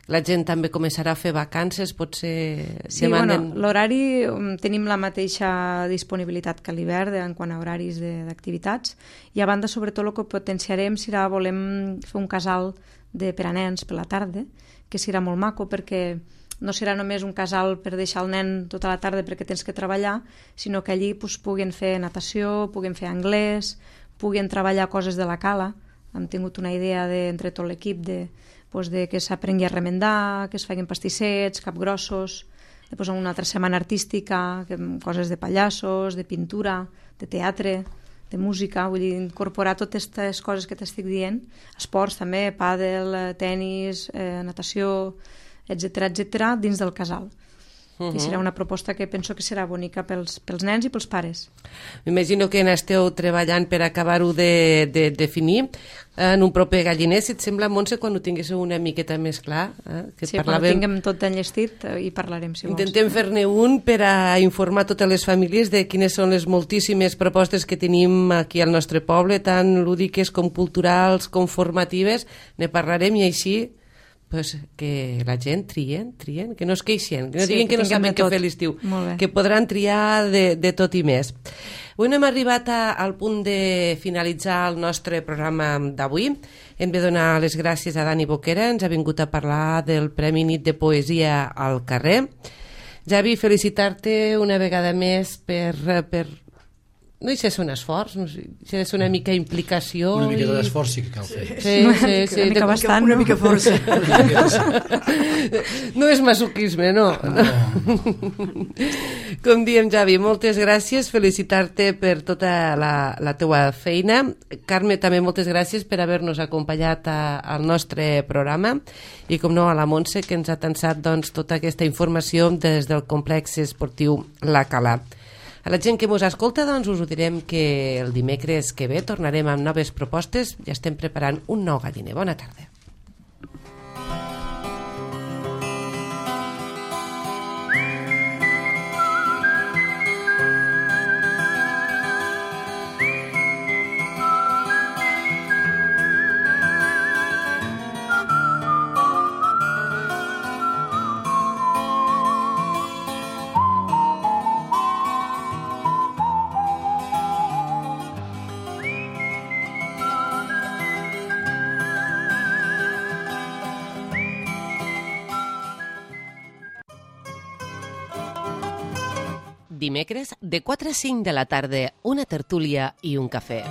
S1: la gent també començarà a fer vacances, potser...
S5: Sí, l'horari tenim la mateixa disponibilitat que a l'hivern en quant a horaris d'activitats, i a banda, sobretot, el que potenciarem serà, volem fer un casal per a nens per la tarda, que serà molt maco perquè no serà només un casal per deixar el nen tota la tarda perquè tens que treballar, sinó que allí puguin fer natació, puguin fer anglès, puguin treballar coses de la cala. Hem tingut una idea entre tot l'equip de que s'aprengui a remendar, que es facin pastissets, capgrossos, després una altra setmana artística, coses de pallassos, de pintura, de teatre, de música, vull dir, incorporar totes aquestes coses que t'estic dient, esports també, pàdel, tenis, natació, etc dins del casal. I serà una proposta que penso que serà bonica pels nens i pels pares.
S1: M'imagino que n'esteu treballant per acabar-ho de definir en un proper galliner. Si et sembla, Montse, quan ho tinguéssiu una miqueta més clar... Que
S5: sí, quan ho tinguem tot enllestit hi parlarem, si vols.
S1: Intentem fer-ne un per a informar totes les famílies de quines són les moltíssimes propostes que tenim aquí al nostre poble, tant lúdiques com culturals, com formatives. Ne parlarem i així... Pues que la gent trien, que no es queixen, que no diguin que no saben què fer l'estiu, que podran triar de tot i més. Avui no hem arribat al punt de finalitzar el nostre programa d'avui. Hem de donar les gràcies a Dani Boquera, ens ha vingut a parlar del Premi Nit de Poesia al carrer. Javi, felicitar-te una vegada més per no hi sé ser un esforç, no sé, si ha de ser una mica implicació.
S4: Una mica d'esforç sí que cal fer.
S1: Sí.
S5: Una mica bastant,
S3: una mica força.
S1: No és masoquisme, no. Com diem, Javi, moltes gràcies, felicitar-te per tota la teua feina. Carme, també moltes gràcies per haver-nos acompanyat al nostre programa i, com no, a la Montse, que ens ha tensat tota aquesta informació des del complex esportiu La Cala. A la gent que ens escolta, us ho direm que el dimecres que ve tornarem amb noves propostes. Ja estem preparant un nou galliner. Bona tarda. Dimecres, de 4 a 5 de la tarda, una tertúlia i un cafè.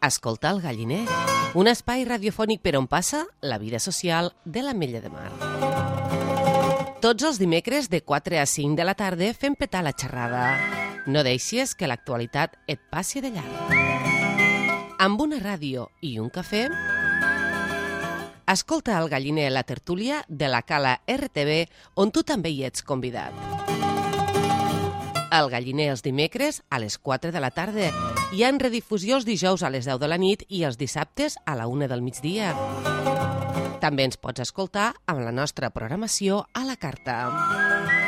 S1: Escolta el galliner, un espai radiofònic per on passa la vida social de l'Ametlla de Mar. Tots els dimecres, de 4 a 5 de la tarda, fem petar la xerrada. No deixis que l'actualitat et passi de llarg. Amb una ràdio i un cafè, escolta el galliner, la tertúlia de la Cala RTV, on tu també hi ets convidat. El galliner els dimecres a les 4 de la tarda i en redifusió els dijous a les 10 de la nit i els dissabtes a la 1 del migdia. També ens pots escoltar amb la nostra programació a la carta.